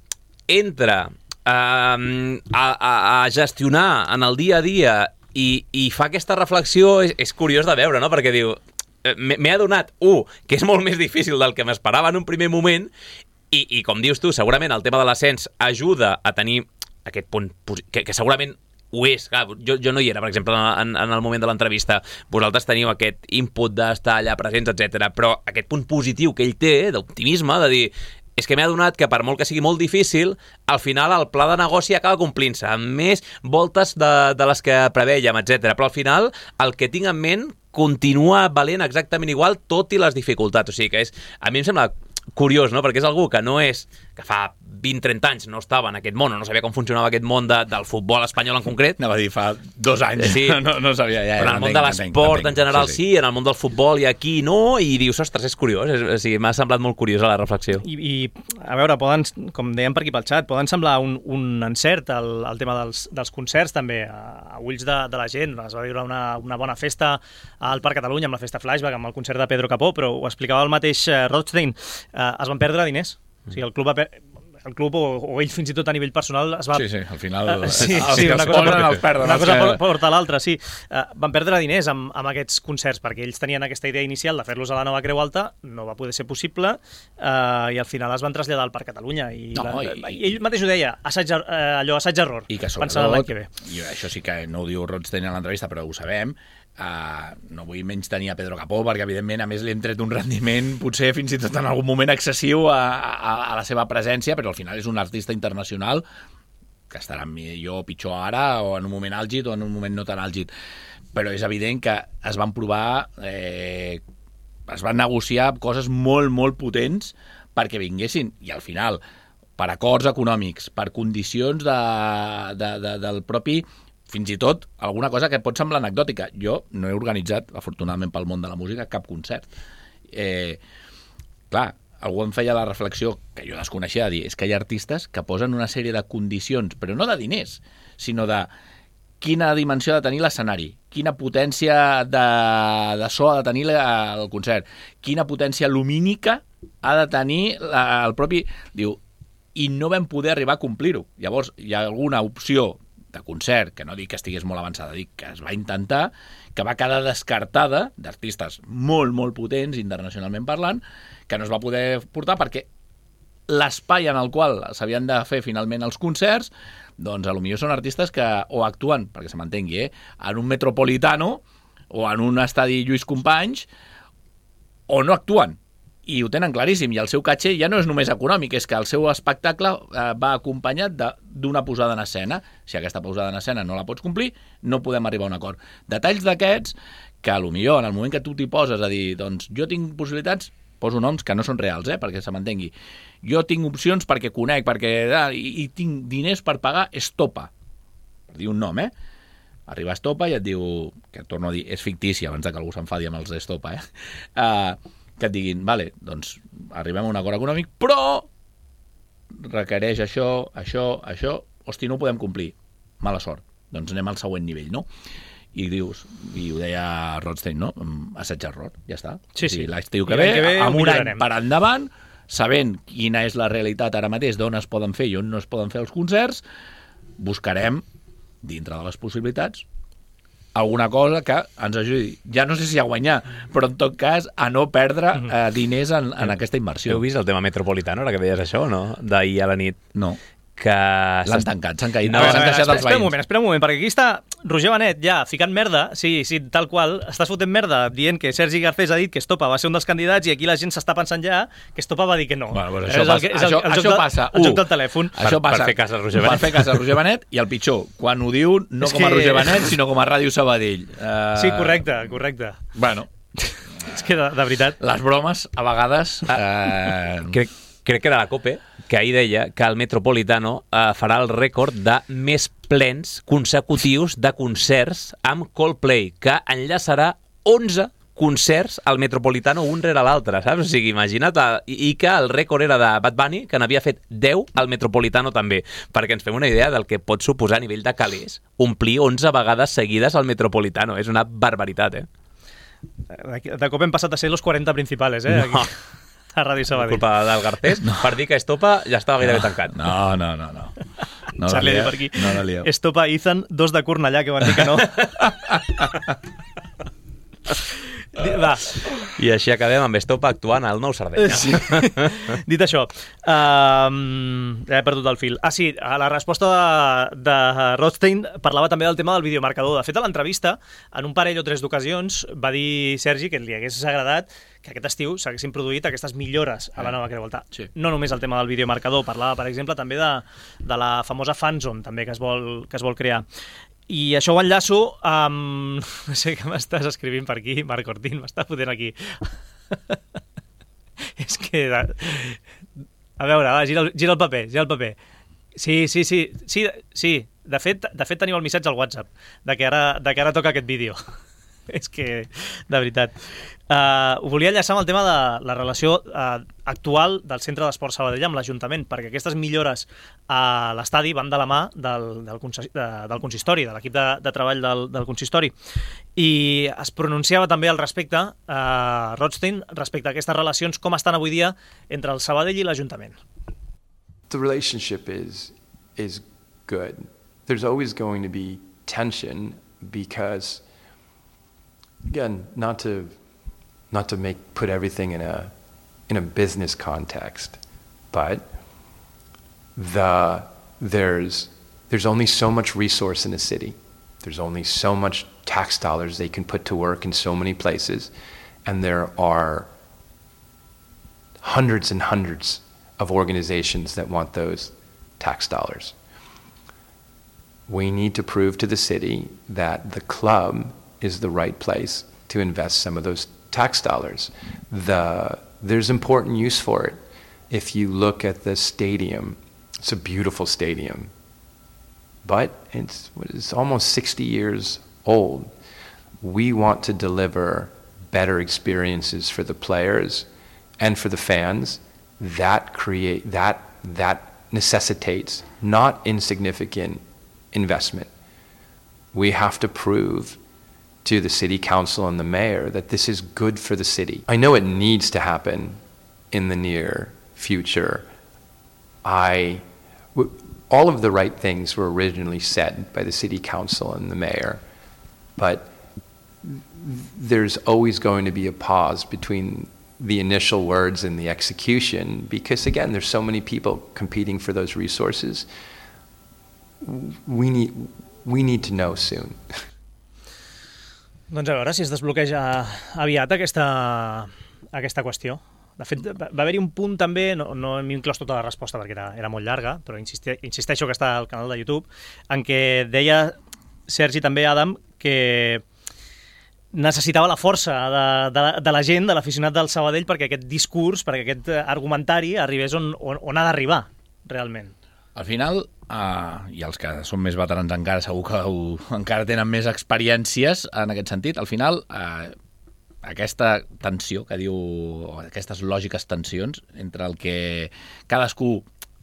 entra a gestionar en el dia a dia i fa aquesta reflexió, és curiós de veure, no?, perquè diu... M'he adonat, que és molt més difícil del que m'esperava en un primer moment i com dius tu, segurament el tema de l'ascens ajuda a tenir aquest punt que segurament ho és. Clar, jo no hi era, per exemple, en el moment de l'entrevista. Vosaltres teniu aquest input d'estar allà presents, etc. Però aquest punt positiu que ell té, d'optimisme, de dir... És que m'he adonat que per molt que sigui molt difícil, al final el pla de negoci acaba complint-se, amb més voltes de les que prevèiem, etc. Però al final el que tinc en ment continua valent exactament igual, tot i les dificultats. O sigui que a mi em sembla curiós, no?, perquè és algú que no és... que fa 20-30 anys no estava en aquest món, o no sabia com funcionava aquest món del futbol espanyol en concret. Anava a dir, fa 2 anys. Sí. No sabia ja. Però en el món de l'esport en general sí, en el món del futbol i aquí no, i dius, ostres, és curiós. O sigui, m'ha semblat molt curiosa la reflexió. I a veure, com dèiem per aquí pel xat, poden semblar un encert el tema dels concerts també, a ulls de la gent. Es va viure una bona festa al Parc Catalunya amb la festa Flashback, amb el concert de Pedro Capó, però ho explicava el mateix Rothstein, es van perdre diners. O sigui, el club o ell fins i tot a nivell personal es va... Sí, al final una cosa porta a l'altra, sí. Van perdre diners amb aquests concerts perquè ells tenien aquesta idea inicial de fer-los a la nova Creu Alta, no va poder ser possible i al final es van traslladar al Parc Catalunya i ell mateix ho deia, assaig-error, i que pensant l'any que ve. I això sí que no ho diu Rothstein en l'entrevista, però ho sabem. No vull menys tenir a Pedro Capó perquè evidentment a més li hem tret un rendiment potser fins i tot en algun moment excessiu a la seva presència, però al final és un artista internacional que estarà millor o pitjor ara o en un moment àlgid o en un moment no tan àlgid, però és evident que es van provar es van negociar coses molt, molt potents perquè vinguessin i al final per acords econòmics, per condicions del propi... Fins i tot alguna cosa que pot semblar anecdòtica. Jo no he organitzat, afortunadament pel món de la música, cap concert. Clar, algú em feia la reflexió, que jo desconeixia, de dir, és que hi ha artistes que posen una sèrie de condicions, però no de diners, sinó de quina dimensió ha de tenir l'escenari, quina potència de so ha de tenir el concert, quina potència lumínica ha de tenir el propi... Diu, i no vam poder arribar a complir-ho. Llavors, hi ha alguna opció de concert, que no dic que estigués molt avançada, dic que es va intentar, que va quedar descartada d'artistes molt, molt potents, internacionalment parlant, que no es va poder portar perquè l'espai en el qual s'havien de fer finalment els concerts, doncs potser són artistes que o actuen, perquè se m'entengui, en un Metropolitano o en un estadi Lluís Companys, o no actuen. I ho tenen claríssim, i el seu caché ja no és només econòmic, és que el seu espectacle va acompanyat d'una posada en escena. Si aquesta posada en escena no la pots complir, no podem arribar a un acord. Detalls d'aquests que potser en el moment que tu t'hi poses a dir, doncs jo tinc possibilitats, poso noms que no són reals, perquè se m'entengui. Jo tinc opcions perquè conec, i tinc diners per pagar Estopa. Per dir un nom, Arriba Estopa i et diu, que torno a dir, és fictici, abans que algú s'enfadi amb els d'Estopa, que et diguin, vale, doncs arribem a un acord econòmic, però requereix això, hosti, no ho podem complir, mala sort, doncs anem al següent nivell, no? I dius, i ho deia Rothstein, no? Assaig-error, ja està. Sí. L'estiu que ve, amb un any per endavant, sabent quina és la realitat ara mateix, d'on es poden fer i on no es poden fer els concerts, buscarem, dintre de les possibilitats, alguna cosa que ens ajudi, ja no sé si a guanyar, però en tot cas a no perdre diners en aquesta inversió. Heu vist el tema Metropolitano, ara que deies això, no? D'ahir a la nit. No. Que l'han tancat, s'han caït. Espera un moment, perquè aquí està Roger Benet ja ficant merda, sí, tal qual, estàs fotent merda dient que Sergi Garcés ha dit que Estopa va ser un dels candidats i aquí la gent s'està pensant ja que Estopa va dir que no. Bueno, això passa. El joc del telèfon. Això passa. Per fer cas a Roger Benet. Per fer cas a Roger Benet i el pitjor, quan ho diu no com a Roger Benet, sinó com a Ràdio Sabadell. Sí, correcte. Bueno. És que de veritat... Les bromes, a vegades... Crec que era la COPE, que ahir deia que el Metropolitano farà el rècord de més plens consecutius de concerts amb Coldplay, que enllaçarà 11 concerts al Metropolitano un rere l'altre, saps? O sigui, imagina't, i que el rècord era de Bad Bunny, que n'havia fet 10 al Metropolitano també, perquè ens fem una idea del que pot suposar a nivell de calés omplir 11 vegades seguides al Metropolitano. És una barbaritat, eh? De cop hem passat a ser los 40 principals, eh? No. Aquí, a Ràdio Sabadell. Culpa del Garcés, per dir que Estopa ja estava gairebé tancat. No Charlie per aquí. No la lieu. Estopa Ethan, 2 de Cornellà, que van dir que no. Va. I així acabem amb Estopa actuant al Nou Sardenya. Sí. Dit això, he perdut el fil. Sí, a la resposta de Rothstein parlava també del tema del videomarcador. De fet, a l'entrevista, en un parell o 3 d'ocasions, va dir Sergi que li hagués agradat que aquest estiu s'haguessin produït aquestes millores a la nova Creu Alta. Sí. No només el tema del videomarcador, parlava, per exemple, també de la famosa fanzone també que es vol crear. I això ho enllaço amb... No sé què m'estàs escrivint per aquí, Marc Ortín, m'està fotent aquí. És que... A veure, va, gira el paper. Sí. De fet teniu el missatge al WhatsApp de que ara toca aquest vídeo. És que, de veritat. Ho volia enllaçar amb el tema de la relació actual del Centre d'Esport Sabadell amb l'Ajuntament, perquè aquestes millores a l'estadi van de la mà del consistori, de l'equip de treball del consistori. I es pronunciava també al respecte, Rothstein, respecte a aquestes relacions, com estan avui dia entre el Sabadell i l'Ajuntament. The relationship is good. There's always going to be tension because, again, not to put everything in a business context, but there's only so much resource in a city. There's only so much tax dollars they can put to work in so many places, and there are hundreds and hundreds of organizations that want those tax dollars. We need to prove to the city that the club is the right place to invest some of those tax dollars. There's important use for it. If you look at the stadium, it's a beautiful stadium, but it's almost 60 years old. We want to deliver better experiences for the players and for the fans. That necessitates not insignificant investment. We have to prove to the city council and the mayor that this is good for the city. I know it needs to happen in the near future. All of the right things were originally said by the city council and the mayor, but there's always going to be a pause between the initial words and the execution, because again, there's so many people competing for those resources. We need to know soon. Doncs a veure si es desbloqueja aviat aquesta qüestió. De fet, va haver-hi un punt també, no hem inclòs tota la resposta perquè era molt llarga, però insisteixo que està al canal de YouTube, en què deia Sergi també, Adam, que necessitava la força de la gent, de l'aficionat del Sabadell, perquè aquest discurs, perquè aquest argumentari arribés on ha d'arribar, realment. Al final, i els que són més veterans encara, segur que encara tenen més experiències en aquest sentit, al final aquesta tensió que diu, aquestes lògiques tensions entre el que cadascú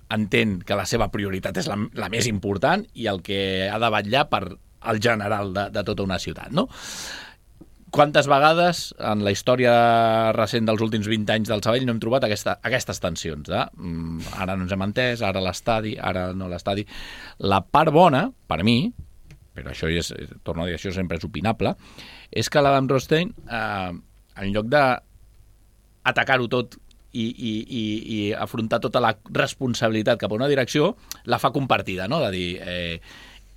entén que la seva prioritat és la més important i el que ha de vetllar per el general de tota una ciutat, no? Quantes vegades en la història recent dels últims 20 anys del Sabadell no hem trobat aquestes tensions de ara no ens hem entès, ara l'estadi, ara no l'estadi. La part bona, per mi, però això torno a dir, això sempre és opinable, és que l'Adam Rothstein, en lloc d'atacar-ho tot i afrontar tota la responsabilitat cap a una direcció, la fa compartida, no? De dir,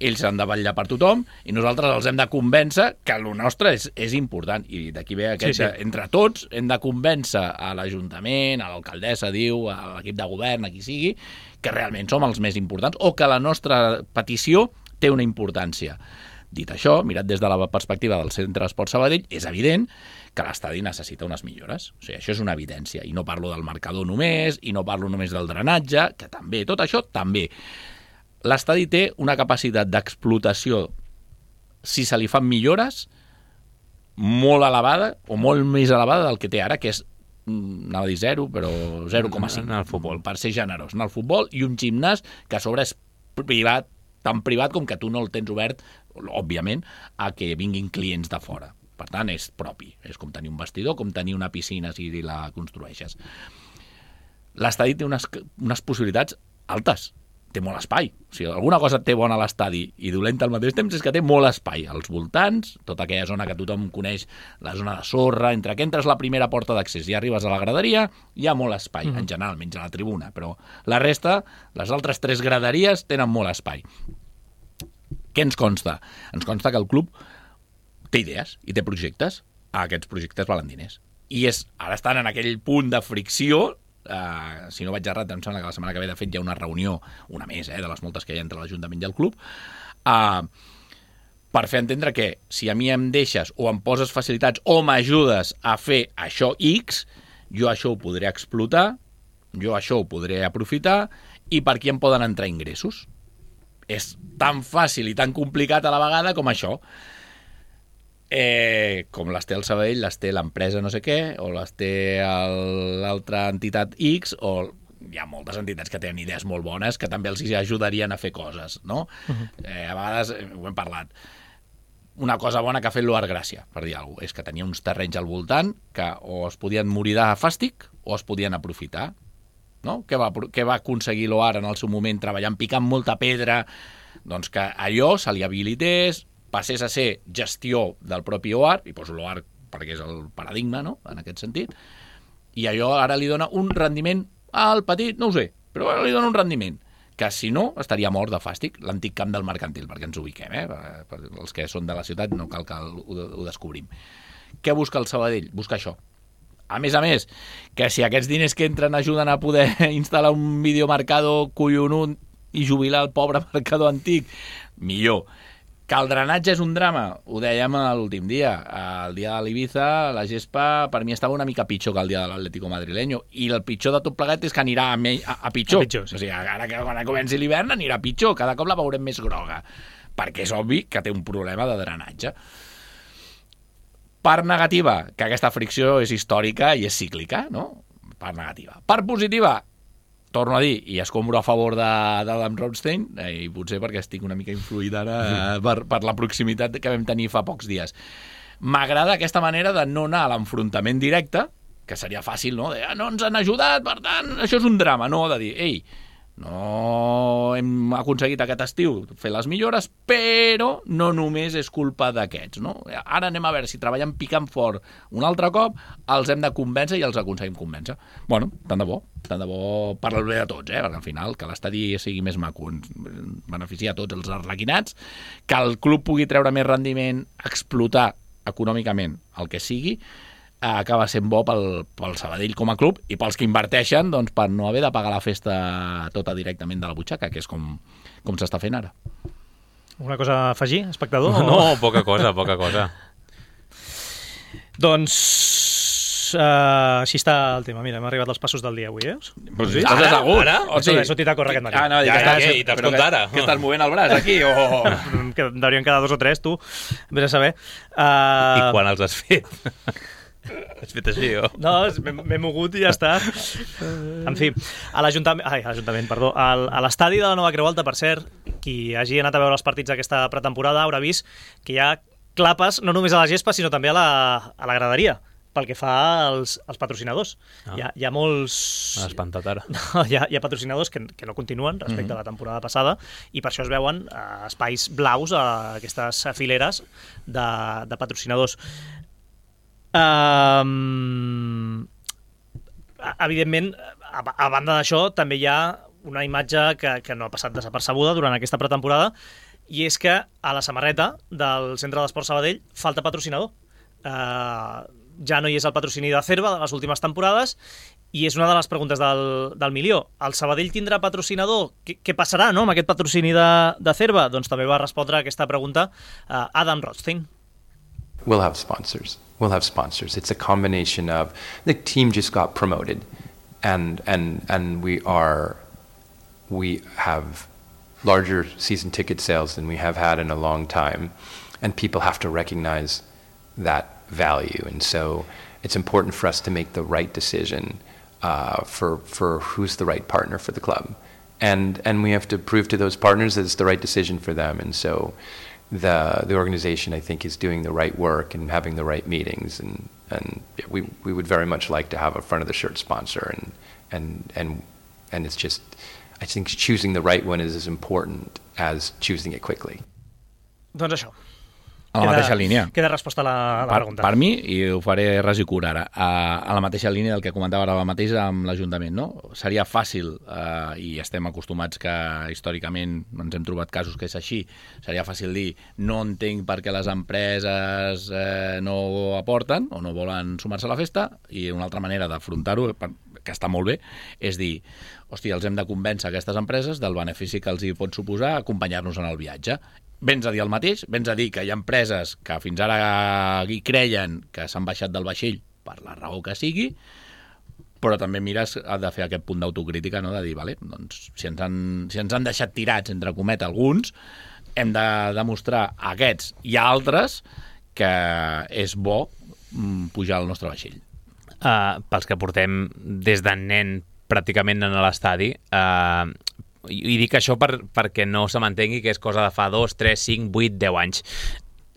ells han de vetllar per tothom i nosaltres els hem de convèncer que el nostre és important. I d'aquí ve aquest, sí. Entre tots hem de convèncer a l'Ajuntament, a l'alcaldessa, diu, a l'equip de govern, a qui sigui, que realment som els més importants o que la nostra petició té una importància. Dit això, mirat des de la perspectiva del Centre d'Esport Sabadell, és evident que l'estadi necessita unes millores. O sigui, això és una evidència. I no parlo del marcador només, i no parlo només del drenatge, que també, tot això també. L'estadi té una capacitat d'explotació, si se li fan millores, molt elevada, o molt més elevada del que té ara, que és, anava a dir 0, però 0,5 en el futbol. per ser generós, en el futbol, i un gimnàs que a sobre és privat, tan privat com que tu no el tens obert, òbviament, a que vinguin clients de fora. Per tant, és propi. És com tenir un vestidor, com tenir una piscina si la construeixes. L'estadi té unes possibilitats altes. Té molt espai. O sigui, alguna cosa té bona a l'estadi i dolenta al mateix temps és que té molt espai. Als voltants, tota aquella zona que tothom coneix, la zona de sorra, entre que entres la primera porta d'accés i arribes a la graderia, hi ha molt espai, en general, menys a la tribuna. Però la resta, les altres 3 graderies, tenen molt espai. Què ens consta? Ens consta que el club té idees i té projectes. Aquests projectes valen diners. I ara estan en aquell punt de fricció. Si no vaig errat, em sembla que la setmana que ve de fet hi ha una reunió, una més, de les moltes que hi ha entre l'Ajuntament i el club, per fer entendre que si a mi em deixes o em poses facilitats o m'ajudes a fer això X, jo això ho podré explotar, jo això ho podré aprofitar, i per aquí em poden entrar ingressos. És tan fàcil i tan complicat a la vegada com això. Com les té el Sabadell, les té l'empresa no sé què, o les té l'altra entitat X, o hi ha moltes entitats que tenen idees molt bones que també els ajudarien a fer coses, no? A vegades, ho hem parlat, una cosa bona que ha fet l'Oar Gràcia, per dir alguna cosa, és que tenia uns terrenys al voltant que o es podien morir de fàstic o es podien aprofitar, no? Què va aconseguir l'Oar en el seu moment treballant, picant molta pedra? Doncs que allò se li habilités, passés a ser gestió del propi OAR, i poso l'OAR perquè és el paradigma, no?, en aquest sentit, i allò ara li dona un rendiment al petit, no ho sé, però ara li dona un rendiment, que si no estaria mort de fàstic, l'antic camp del mercantil, perquè ens ubiquem, per els que són de la ciutat no cal que ho descobrim. Què busca el Sabadell? Busca això. A més, que si aquests diners que entren ajuden a poder instal·lar un videomarcador collonut i jubilar el pobre marcador antic, millor. Que el drenatge és un drama, ho dèiem l'últim dia. El dia de l'Ibiza, la gespa, per mi estava una mica pitjor que el dia de l'Atlético madrileño. I el pitjor de tot plegat és que anirà a pitjor. Sí. O sigui, ara que quan comenci l'hivern anirà pitjor. Cada cop la veurem més groga. Perquè és obvi que té un problema de drenatge. Part negativa, que aquesta fricció és històrica i és cíclica, no? Part negativa. Part positiva, torno a dir, i escombro a favor d'Adam Rothstein, i potser perquè estic una mica influït ara per la proximitat que vam tenir fa pocs dies. M'agrada aquesta manera de no anar a l'enfrontament directe, que seria fàcil, no? No ens han ajudat, per tant, això és un drama, no? De dir, ei, no hem aconseguit aquest estiu fer les millores, però no només és culpa d'aquests, no? Ara anem a veure si treballem picant fort un altre cop, els hem de convèncer i els aconseguim convèncer. Bueno, tant de bo per al bé de tots, perquè al final que l'estadi sigui més maco ens beneficia a tots els arlequinats, que el club pugui treure més rendiment, explotar econòmicament el que sigui, acaba sent bo pel Sabadell com a club i pels que inverteixen, doncs, per no haver de pagar la festa tota directament de la butxaca, que és com s'està fent ara. Una cosa a afegir, espectador? No, poca cosa. Doncs així està el tema. Mira, hem arribat als passos del dia avui, Pues sí, estàs assegut. He sortit a córrer aquest matí. I t'has comptat ara. Que estàs movent el braç aquí? Que deurien quedar 2 o 3, tu. Vés a saber. I quan els has fet? Has fet així, o? No, m'he mogut i ja està. En fi, a l'Ajuntament, perdó, a l'estadi de la Nova Creu Alta, per cert, qui hagi anat a veure els partits d'aquesta pretemporada haurà vist que hi ha clapes no només a la gespa, sinó també a la graderia, pel que fa als patrocinadors. Hi ha molts... M'ha espantat ara. No, hi ha patrocinadors que no continuen respecte a la temporada passada i per això es veuen espais blaus a aquestes fileres de patrocinadors. Evidentment, a banda d'això, també hi ha una imatge que no ha passat desapercebuda durant aquesta pretemporada, i és que a la samarreta del Centre d'Esport Sabadell falta patrocinador. Ja no hi és el patrocini de Cerva de les últimes temporades, i és una de les preguntes del milió. El Sabadell tindrà patrocinador? Què passarà, no, amb aquest patrocini de Cerva? Doncs també va respondre a aquesta pregunta Adam Rothstein. We'll have sponsors. It's a combination of the team just got promoted, and we have larger season ticket sales than we have had in a long time, and people have to recognize that value. And so it's important for us to make the right decision for who's the right partner for the club. And we have to prove to those partners that it's the right decision for them. And so the organization, I think, is doing the right work and having the right meetings. And we would very much like to have a front of the shirt sponsor. And it's just, I think choosing the right one is as important as choosing it quickly. Doncs això. A la mateixa línia. Queda resposta a la pregunta. Per mi, i ho faré ras i curt ara, a la mateixa línia del que comentava ara mateix amb l'Ajuntament, no? Seria fàcil, i estem acostumats que històricament ens hem trobat casos que és així, seria fàcil dir no entenc per què les empreses no aporten o no volen sumar-se a la festa, i una altra manera d'afrontar-ho, que està molt bé, és dir, hòstia, els hem de convèncer aquestes empreses del benefici que els hi pot suposar acompanyar-nos en el viatge. Vens a dir el mateix, vens a dir que hi ha empreses que fins ara hi creien que s'han baixat del vaixell per la raó que sigui, però també mires de fer aquest punt d'autocrítica, no? De dir, vale, doncs, si ens han deixat tirats, entre comet, alguns, hem de demostrar a aquests i a altres que és bo pujar al nostre vaixell. Pels que portem des de nen pràcticament en l'estadi, i dic això perquè no se m'entengui que és cosa de fa 2, 3, 5, 8, 10 anys.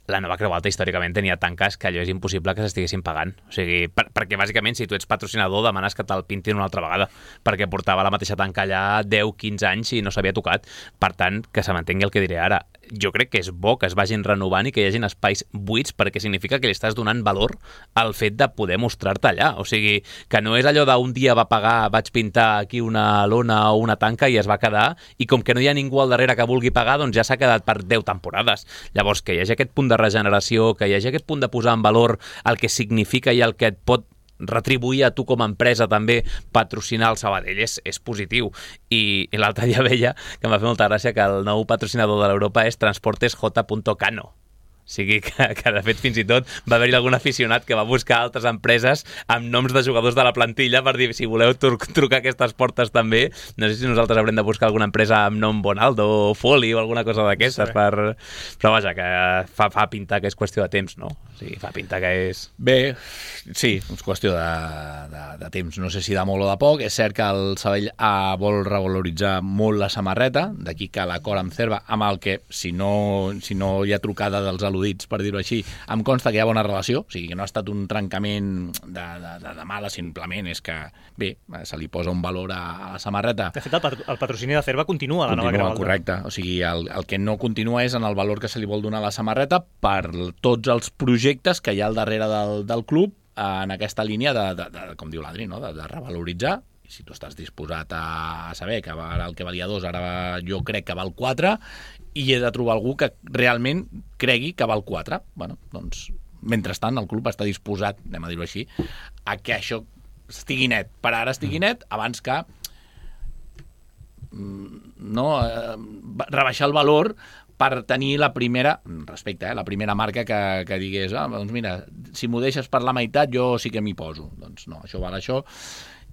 La Nova Creu Alta històricament tenia tanques que allò és impossible que s'estiguessin pagant. O sigui, perquè bàsicament si tu ets patrocinador demanes que te'l pintin una altra vegada, perquè portava la mateixa tanca allà 10, 15 anys i no s'havia tocat. Per tant, que se m'entengui el que diré ara. Jo crec que és bo que es vagin renovant i que hi hagin espais buits, perquè significa que li estàs donant valor al fet de poder mostrar-te allà. O sigui, que no és allò d'un dia va pagar, vaig pintar aquí una lona o una tanca i es va quedar, i com que no hi ha ningú al darrere que vulgui pagar, doncs ja s'ha quedat per 10 temporades. Llavors, que hi hagi aquest punt de regeneració, que hi hagi aquest punt de posar en valor el que significa i el que et pot retribuir a tu com a empresa també patrocinar el Sabadell és positiu. I l'altre dia veia que em va fer molta gràcia que el nou patrocinador de l'Europa és Transportes J.Cano. O sigui que de fet fins i tot va haver-hi algun aficionat que va buscar altres empreses amb noms de jugadors de la plantilla per dir si voleu trucar aquestes portes també. No sé si nosaltres haurem de buscar alguna empresa amb nom Bonaldo o Foli o alguna cosa d'aquestes, però vaja, que fa pintar que és qüestió de temps, no? O sigui, fa pintar que és... Bé, sí, és qüestió de temps. No sé si de molt o de poc. És cert que el Sabadell vol revaloritzar molt la samarreta, d'aquí que l'acord amb Cerva, amb el que, si no hi ha trucada dels al·ludits, per dir-ho així, em consta que hi ha bona relació, o sigui, que no ha estat un trencament de mala, simplement és que, bé, se li posa un valor a la samarreta. De fet, el patrocini de Cerva continua a la Nova Creu Alta. Correcte, o sigui, el que no continua és en el valor que se li vol donar a la samarreta per tots els projectes que hi ha al darrere del club en aquesta línia de com diu l'Adri, no? de revaloritzar. I si tu estàs disposat a saber que el que valia 2, ara jo crec que val 4, i he de trobar algú que realment cregui que val 4. Bueno, doncs, mentrestant, el club està disposat, anem a dir-ho així, a que això estigui net. Per ara estigui net, abans que rebaixar el valor per tenir la primera, respecte, la primera marca que digués, doncs mira, si m'ho deixes per la meitat, jo sí que m'hi poso. Doncs no, això val això.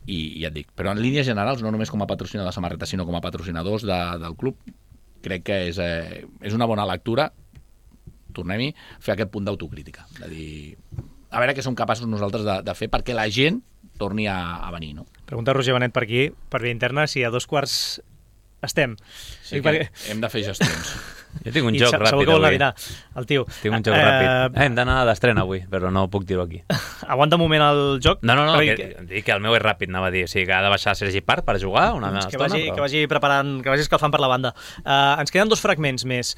I ja et dic, però en línies generals, no només com a patrocinador de samarreta, sinó com a patrocinadors del club, crec que és una bona lectura, tornem-hi, fer aquest punt d'autocrítica, de dir, a veure què som capaços nosaltres de fer perquè la gent torni a venir, no? Pregunta Roger Benet per aquí, per via interna, si a 2:15 estem. Sí, que hem de fer gestions. Jo tinc un joc ràpid avui. El tio. Tinc un joc ràpid. Hem d'anar d'estrena avui, però no puc dir-ho aquí. Aguanta un moment el joc. No, dic que el meu és ràpid, anava a dir. O sigui, que ha de baixar Sergi Parc per jugar una estona. Que vagi preparant, que vagi escalfant per la banda. Ens queden 2 fragments més.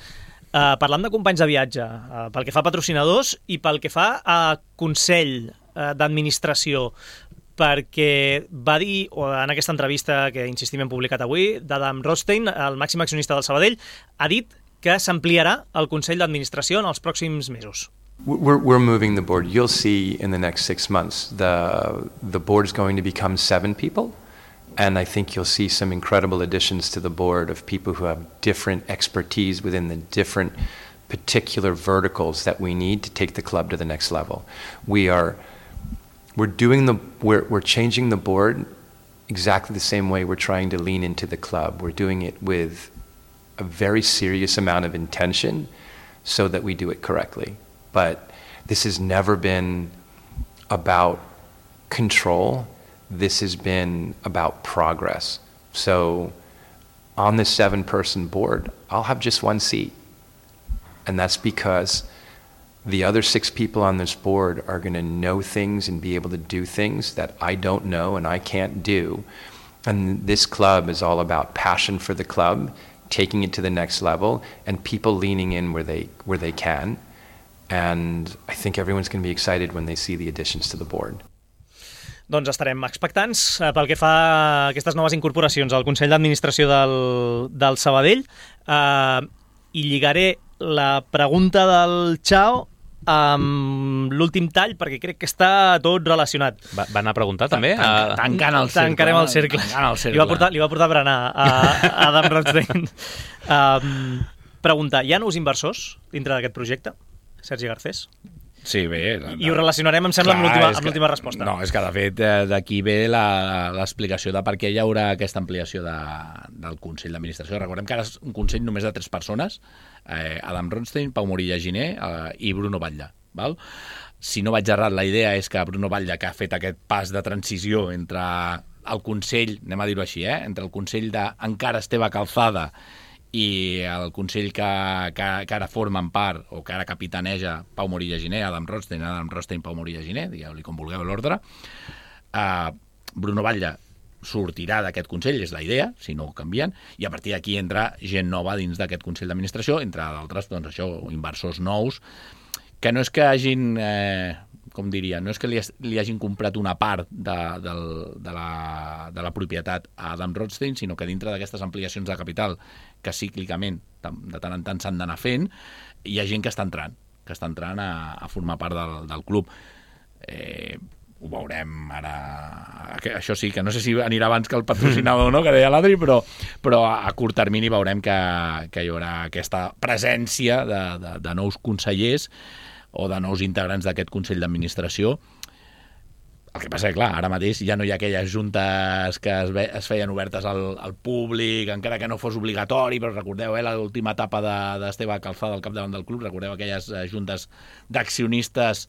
Parlant de companys de viatge, pel que fa a patrocinadors i pel que fa a consell d'administració, perquè va dir, en aquesta entrevista que insistim hem publicat avui, d'Adam Rothstein, el màxim accionista del Sabadell, ha dit que s'ampliarà el Consell d'Administració en els pròxims mesos. We're moving the board. You'll see in the next 6 months the board is going to become 7 people, and I think you'll see some incredible additions to the board of people who have different expertise within the different particular verticals that we need to take the club to the next level. We're changing the board exactly the same way we're trying to lean into the club. We're doing it with a very serious amount of intention so that we do it correctly. But This has never been about control. This has been about progress. So on this 7-person board, I'll have just one seat. And that's because the other 6 people on this board are going to know things and be able to do things that I don't know and I can't do. And this club is all about passion for the club, taking it to the next level, and people leaning in where they can. And I think everyone's going to be excited when they see the additions to the board. Doncs estarem expectants pel que fa a aquestes noves incorporacions al Consell d'Administració del Sabadell. I lligaré la pregunta del Chao amb l'últim tall, perquè crec que està tot relacionat. Va anar a preguntar, també? Tancant el cercle. Tancarem el cercle. Li va portar berenar a Adam Rothstein. Pregunta, hi ha nous inversors dintre d'aquest projecte? Sergi Garcés? Sí, bé. I ho relacionarem, em sembla, amb l'última resposta. No, és que, de fet, d'aquí ve l'explicació de per què hi haurà aquesta ampliació del Consell d'Administració. Recordem que ara és un Consell només de 3 persones, Adam Rothstein, Pau Morilla Giner i Bruno Batlle. Val? Si no vaig errat, la idea és que Bruno Batlle, que ha fet aquest pas de transició entre el Consell, anem a dir-ho així, entre el Consell d'encara Esteve Calzada i el Consell que ara formen part, o que ara capitaneja Pau Morilla Giner, Adam Rothstein, Pau Morilla Giner, digueu-li com vulgueu l'ordre, Bruno Batlle sortirà d'aquest Consell, és la idea, si no ho canvien, i a partir d'aquí entra gent nova dins d'aquest Consell d'Administració, entre d'altres, doncs això, inversors nous, que no és que hagin... com diria, no és que li hagin comprat una part de la propietat a Adam Rothstein, sinó que dintre d'aquestes ampliacions de capital que cíclicament, de tant en tant s'han d'anar fent, hi ha gent que està entrant a formar part del club. Ho veurem ara... Això sí, que no sé si anirà abans que el patrocinador, no?, que deia l'Adri, però a curt termini veurem que hi haurà aquesta presència de nous consellers o de nous integrants d'aquest Consell d'Administració. El que passa és que, clar, ara mateix ja no hi ha aquelles juntes que es feien obertes al públic, encara que no fos obligatori, però recordeu, l'última etapa d'Esteve Calzada al capdavant del club, recordeu aquelles juntes d'accionistes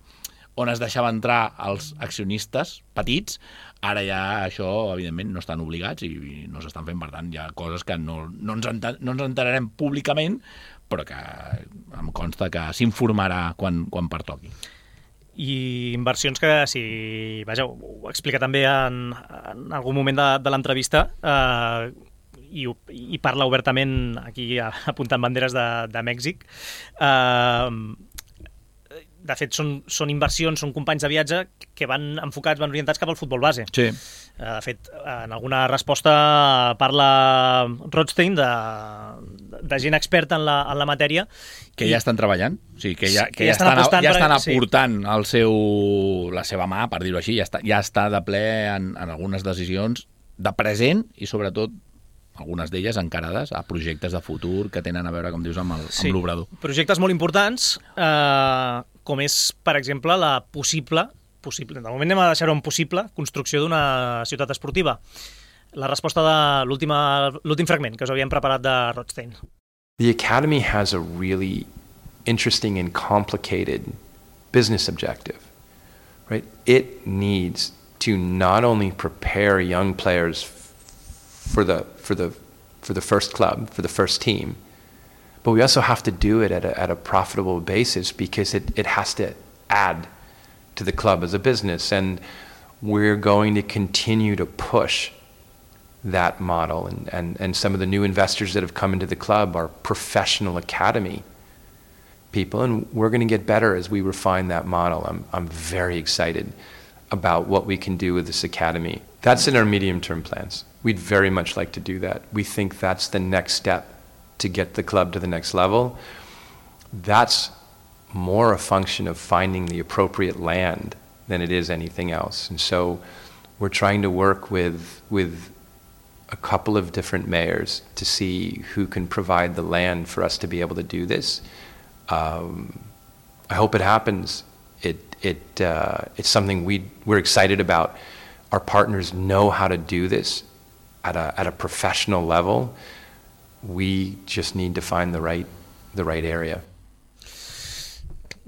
on es deixava entrar els accionistes petits. Ara ja això, evidentment, no estan obligats i no s'estan fent, per tant, hi ha coses que no ens enterarem públicament, però que em consta que s'informarà quan pertoqui. I inversions que, vaja, ho explica també en algun moment de l'entrevista, i parla obertament, aquí apuntant banderes de Mèxic. De fet, són inversions, són companys de viatge que van orientats cap al futbol base. Sí. De fet, en alguna resposta parla Rothstein de gent experta en la matèria. Que ja estan treballant, o sigui, que ja estan aportant la seva mà, per dir-ho així, ja està de ple en algunes decisions de present i, sobretot, algunes d'elles encarades a projectes de futur que tenen a veure, com dius, amb l'obrador. Projectes molt importants, com és, per exemple, la possible, de moment anem a deixar-ho en possible, construcció d'una ciutat esportiva. La resposta de l'últim fragment que us havíem preparat de Rothstein. The Academy has a really interesting and complicated business objective, right? It needs to not only prepare young players for the first club, for the first team, but we also have to do it at a profitable basis because it has to add to the club as a business. And we're going to continue to push that model. And some of the new investors that have come into the club are professional academy people, and we're going to get better as we refine that model. I'm very excited about what we can do with this academy. That's in our medium-term plans. We'd very much like to do that. We think that's the next step to get the club to the next level. That's more a function of finding the appropriate land than it is anything else. And so we're trying to work with a couple of different mayors to see who can provide the land for us to be able to do this. I hope it happens. It's something we're excited about. Our partners know how to do this at a professional level. We just need to find the right area.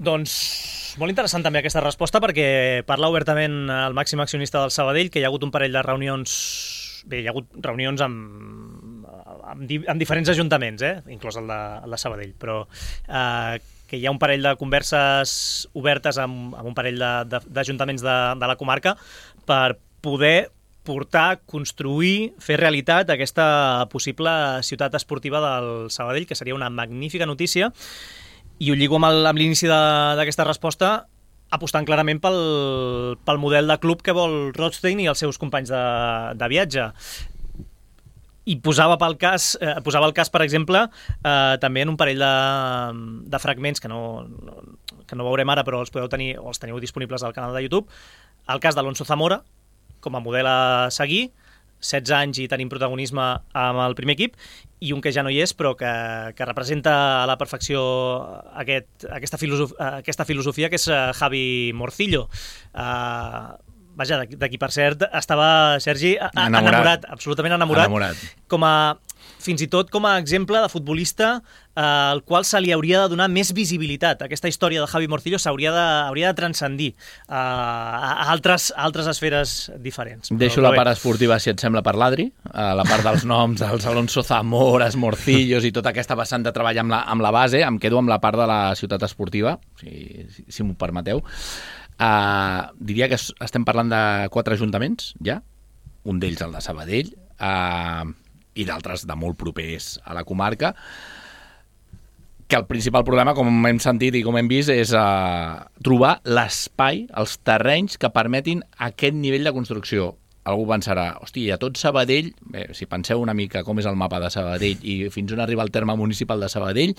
Doncs molt interessant també aquesta resposta perquè parla obertament el màxim accionista del Sabadell, que hi ha hagut un parell de reunions... Bé, hi ha hagut reunions amb diferents ajuntaments, inclòs el de Sabadell, però que hi ha un parell de converses obertes amb un parell d'ajuntaments de la comarca per poder portar, construir, fer realitat aquesta possible ciutat esportiva del Sabadell, que seria una magnífica notícia, i ho lligo amb l'inici d'aquesta resposta, apostant clarament pel model de club que vol Rothstein i els seus companys de viatge. I posava el cas, per exemple, també en un parell de fragments que no veurem ara, però els podeu tenir o els teniu disponibles al canal de YouTube. El cas d'Alonso Zamora, com a model a seguir, 16 anys i tenim protagonisme amb el primer equip, i un que ja no hi és, però que representa a la perfecció aquesta filosofia, que és Javi Morcillo. Vaja, d'aquí per cert estava Sergi enamorat, absolutament enamorat. Fins i tot com a exemple de futbolista al qual se li hauria de donar més visibilitat. Aquesta història de Javi Morcillo hauria de transcendir a altres esferes diferents. Deixo la part esportiva, si et sembla, per l'Adri, la part dels noms, dels Alonso Zamores, Morcillos i tota aquesta vessant de treball amb la base. Em quedo amb la part de la ciutat esportiva, si m'ho permeteu. Diria que estem parlant de 4 ajuntaments, ja. Un d'ells el de Sabadell, i d'altres de molt propers a la comarca, que el principal problema, com hem sentit i com hem vist, és trobar l'espai, els terrenys que permetin aquest nivell de construcció. Algú pensarà, hosti, a tot Sabadell, si penseu una mica com és el mapa de Sabadell i fins on arriba el terme municipal de Sabadell,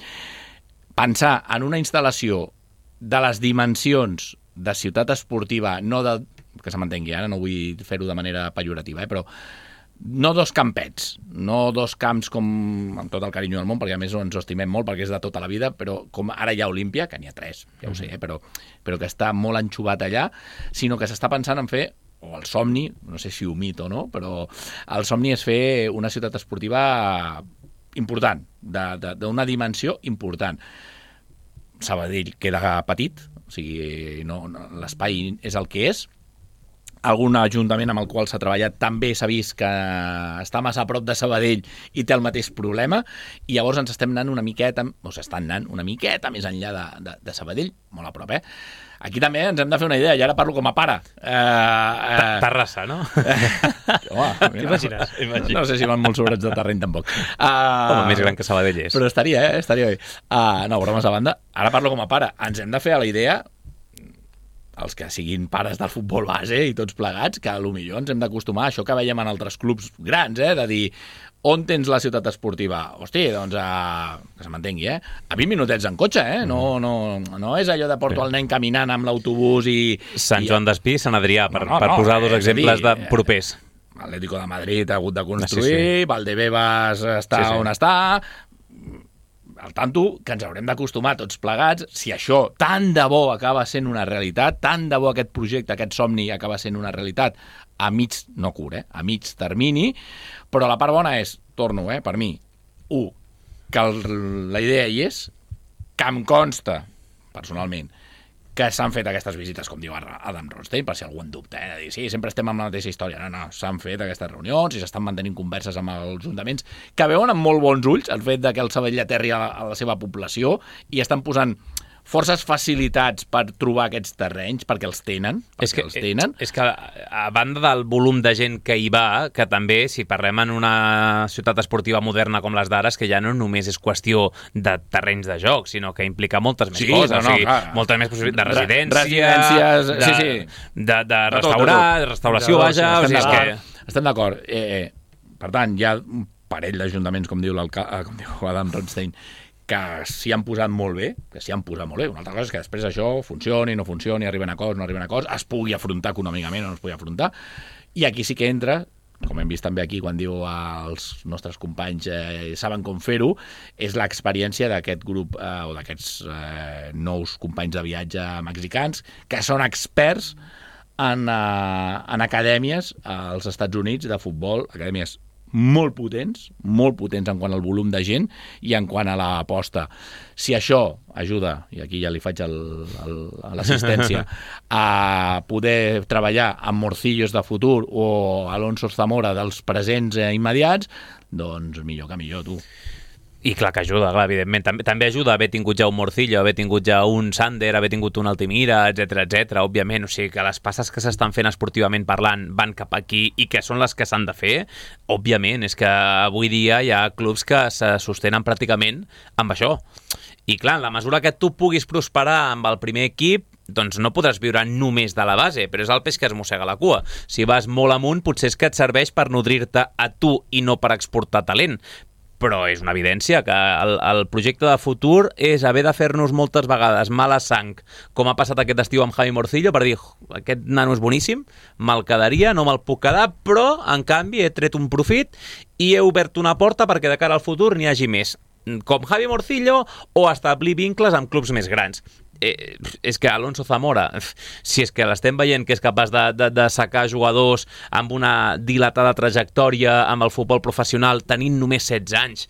pensar en una instal·lació de les dimensions de ciutat esportiva, no de, que se m'entengui, ara no vull fer-ho de manera pejorativa, però no 2 campets, no 2 camps com amb tot el carinyo del món, perquè a més ens ho estimem molt perquè és de tota la vida, però com ara hi ha Olímpia, que n'hi ha 3, ja ho sé, però que està molt enxuvat allà, sinó que s'està pensant en fer, o el somni, no sé si ho mito o no, però el somni és fer una ciutat esportiva important, d'una dimensió important. Sabadell queda petit, o sigui, l'espai és el que és. Algun ajuntament amb el qual s'ha treballat també s'ha vist que està massa a prop de Sabadell i té el mateix problema, i llavors ens estem anant una miqueta més enllà de Sabadell, molt a prop, Aquí també ens hem de fer una idea, i ara parlo com a pare. Terrassa, no? Home, t'imagines? No sé si van molt sobrats de terreny, tampoc. Home, més gran que Sabadell és. Però estaria bé. No, bromes a banda. Ara parlo com a pare. Ens hem de fer a la idea, els que siguin pares del futbol base i tots plegats, que potser ens hem d'acostumar a això que veiem en altres clubs grans, de dir, on tens la ciutat esportiva? Hosti, doncs que se m'entengui, a 20 minutets en cotxe, no és allò de porto el nen caminant amb l'autobús i... Sant Joan d'Espí, Sant Adrià, per posar 2 exemples de propers. L'Atlético de Madrid ha hagut de construir, Valdebebas està on està... Al tanto que ens haurem d'acostumar tots plegats, si això tant de bo acaba sent una realitat, tant de bo aquest projecte, aquest somni acaba sent una realitat a mig termini, però la part bona és, torno, per mi, que la idea hi és, que em consta, personalment, que s'han fet aquestes visites, com diu Adam Rothstein, per si algú en dubta, de dir, sí, sempre estem amb la mateixa història. No, s'han fet aquestes reunions i s'estan mantenint converses amb els ajuntaments que veuen amb molt bons ulls el fet que el Sabadell aterri a la seva població i estan posant forces facilitats per trobar aquests terrenys, perquè els tenen. És que a banda del volum de gent que hi va, que també, si parlem en una ciutat esportiva moderna com les d'ara, que ja no només és qüestió de terrenys de joc, sinó que implica moltes més coses. Moltes més possibilitats de residències, de restauració, vaja. Estem d'acord. Per tant, hi ha un parell d'ajuntaments, com diu Adam Rothstein, que s'hi han posat molt bé, Una altra cosa és que després això funcioni, no funcioni, arriben a acords, es pugui afrontar econòmicament o no es pugui afrontar. I aquí sí que entra, com hem vist també aquí quan diu els nostres companys saben com fer-ho, és l'experiència d'aquest grup o d'aquests nous companys de viatge mexicans que són experts en acadèmies als Estats Units de futbol, acadèmies molt potents en quant al volum de gent i en quant a l'aposta. Si això ajuda, i aquí ja li faig a l'assistència, a poder treballar amb Morcillos de futur o Alonso Zamora dels presents immediats, doncs millor que millor, tu. I clar que ajuda, clar, evidentment. També ajuda haver tingut ja un Morcillo, haver tingut ja un Sander, haver tingut un Altimira, etc, òbviament. O sigui, que les passes que s'estan fent esportivament parlant van cap aquí i que són les que s'han de fer, òbviament. És que avui dia hi ha clubs que se sostenen pràcticament amb això. I clar, en la mesura que tu puguis prosperar amb el primer equip, doncs no podràs viure només de la base, però és el peix que es mossega la cua. Si vas molt amunt, potser és que et serveix per nodrir-te a tu i no per exportar talent. Però és una evidència que el projecte de futur és haver de fer-nos moltes vegades mala sang, com ha passat aquest estiu amb Javi Morcillo, per dir, aquest nano és boníssim, me'l quedaria, no me'l puc quedar, però, en canvi, he tret un profit i he obert una porta perquè de cara al futur n'hi hagi més, com Javi Morcillo, o establir vincles amb clubs més grans. És que Alonso Zamora, si és que l'estem veient que és capaç de sacar jugadors amb una dilatada trajectòria amb el futbol professional tenint només 16 anys,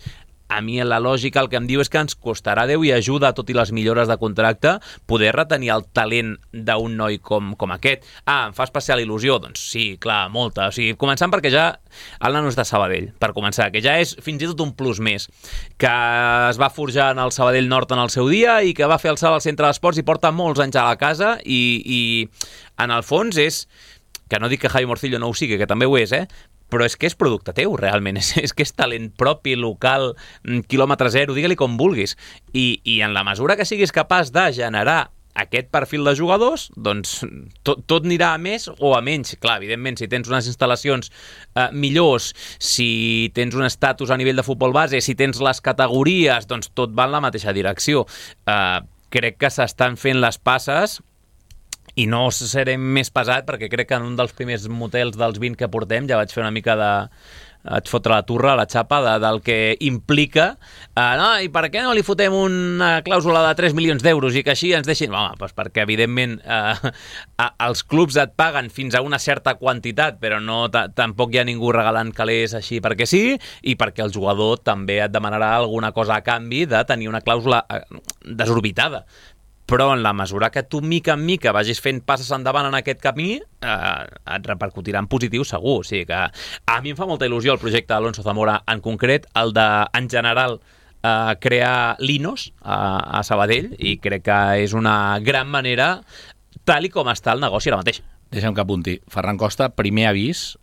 a mi la lògica el que em diu és que ens costarà Déu i ajuda, tot i les millores de contracte, poder retenir el talent d'un noi com aquest. Em fa especial il·lusió? Doncs sí, clar, molta. O sigui, començant perquè ja el nano és de Sabadell, per començar, que ja és fins i tot un plus més, que es va forjar en el Sabadell Nord en el seu dia i que va fer el salt al centre d'esports i porta molts anys a la casa i en el fons és, que no dic que Javi Morcillo no ho sigui, que també ho és, però és que és producte teu, realment. És que és talent propi, local, quilòmetre zero, digue-li com vulguis. I en la mesura que siguis capaç de generar aquest perfil de jugadors, doncs tot anirà a més o a menys. Clar, evidentment, si tens unes instal·lacions millors, si tens un estatus a nivell de futbol base, si tens les categories, doncs tot va en la mateixa direcció. Crec que s'estan fent les passes i no seré més pesat perquè crec que en un dels primers motels dels 20 que portem ja vaig fer una mica de... vaig fotre la turra, la xapa del que implica i per què no li fotem una clàusula de 3 milions d'euros i que així ens deixin... Home, doncs perquè evidentment els clubs et paguen fins a una certa quantitat, però no tampoc hi ha ningú regalant calés així perquè sí, i perquè el jugador també et demanarà alguna cosa a canvi de tenir una clàusula desorbitada. Però en la mesura que tu mica en mica vagis fent passes endavant en aquest camí, et repercutirà en positiu segur. O sigui que a mi em fa molta il·lusió el projecte d'Alonso Zamora en concret, el de, en general, crear Linos a Sabadell, i crec que és una gran manera, tal i com està el negoci ara mateix. Deixa'm que apunti. Ferran Costa, primer avís,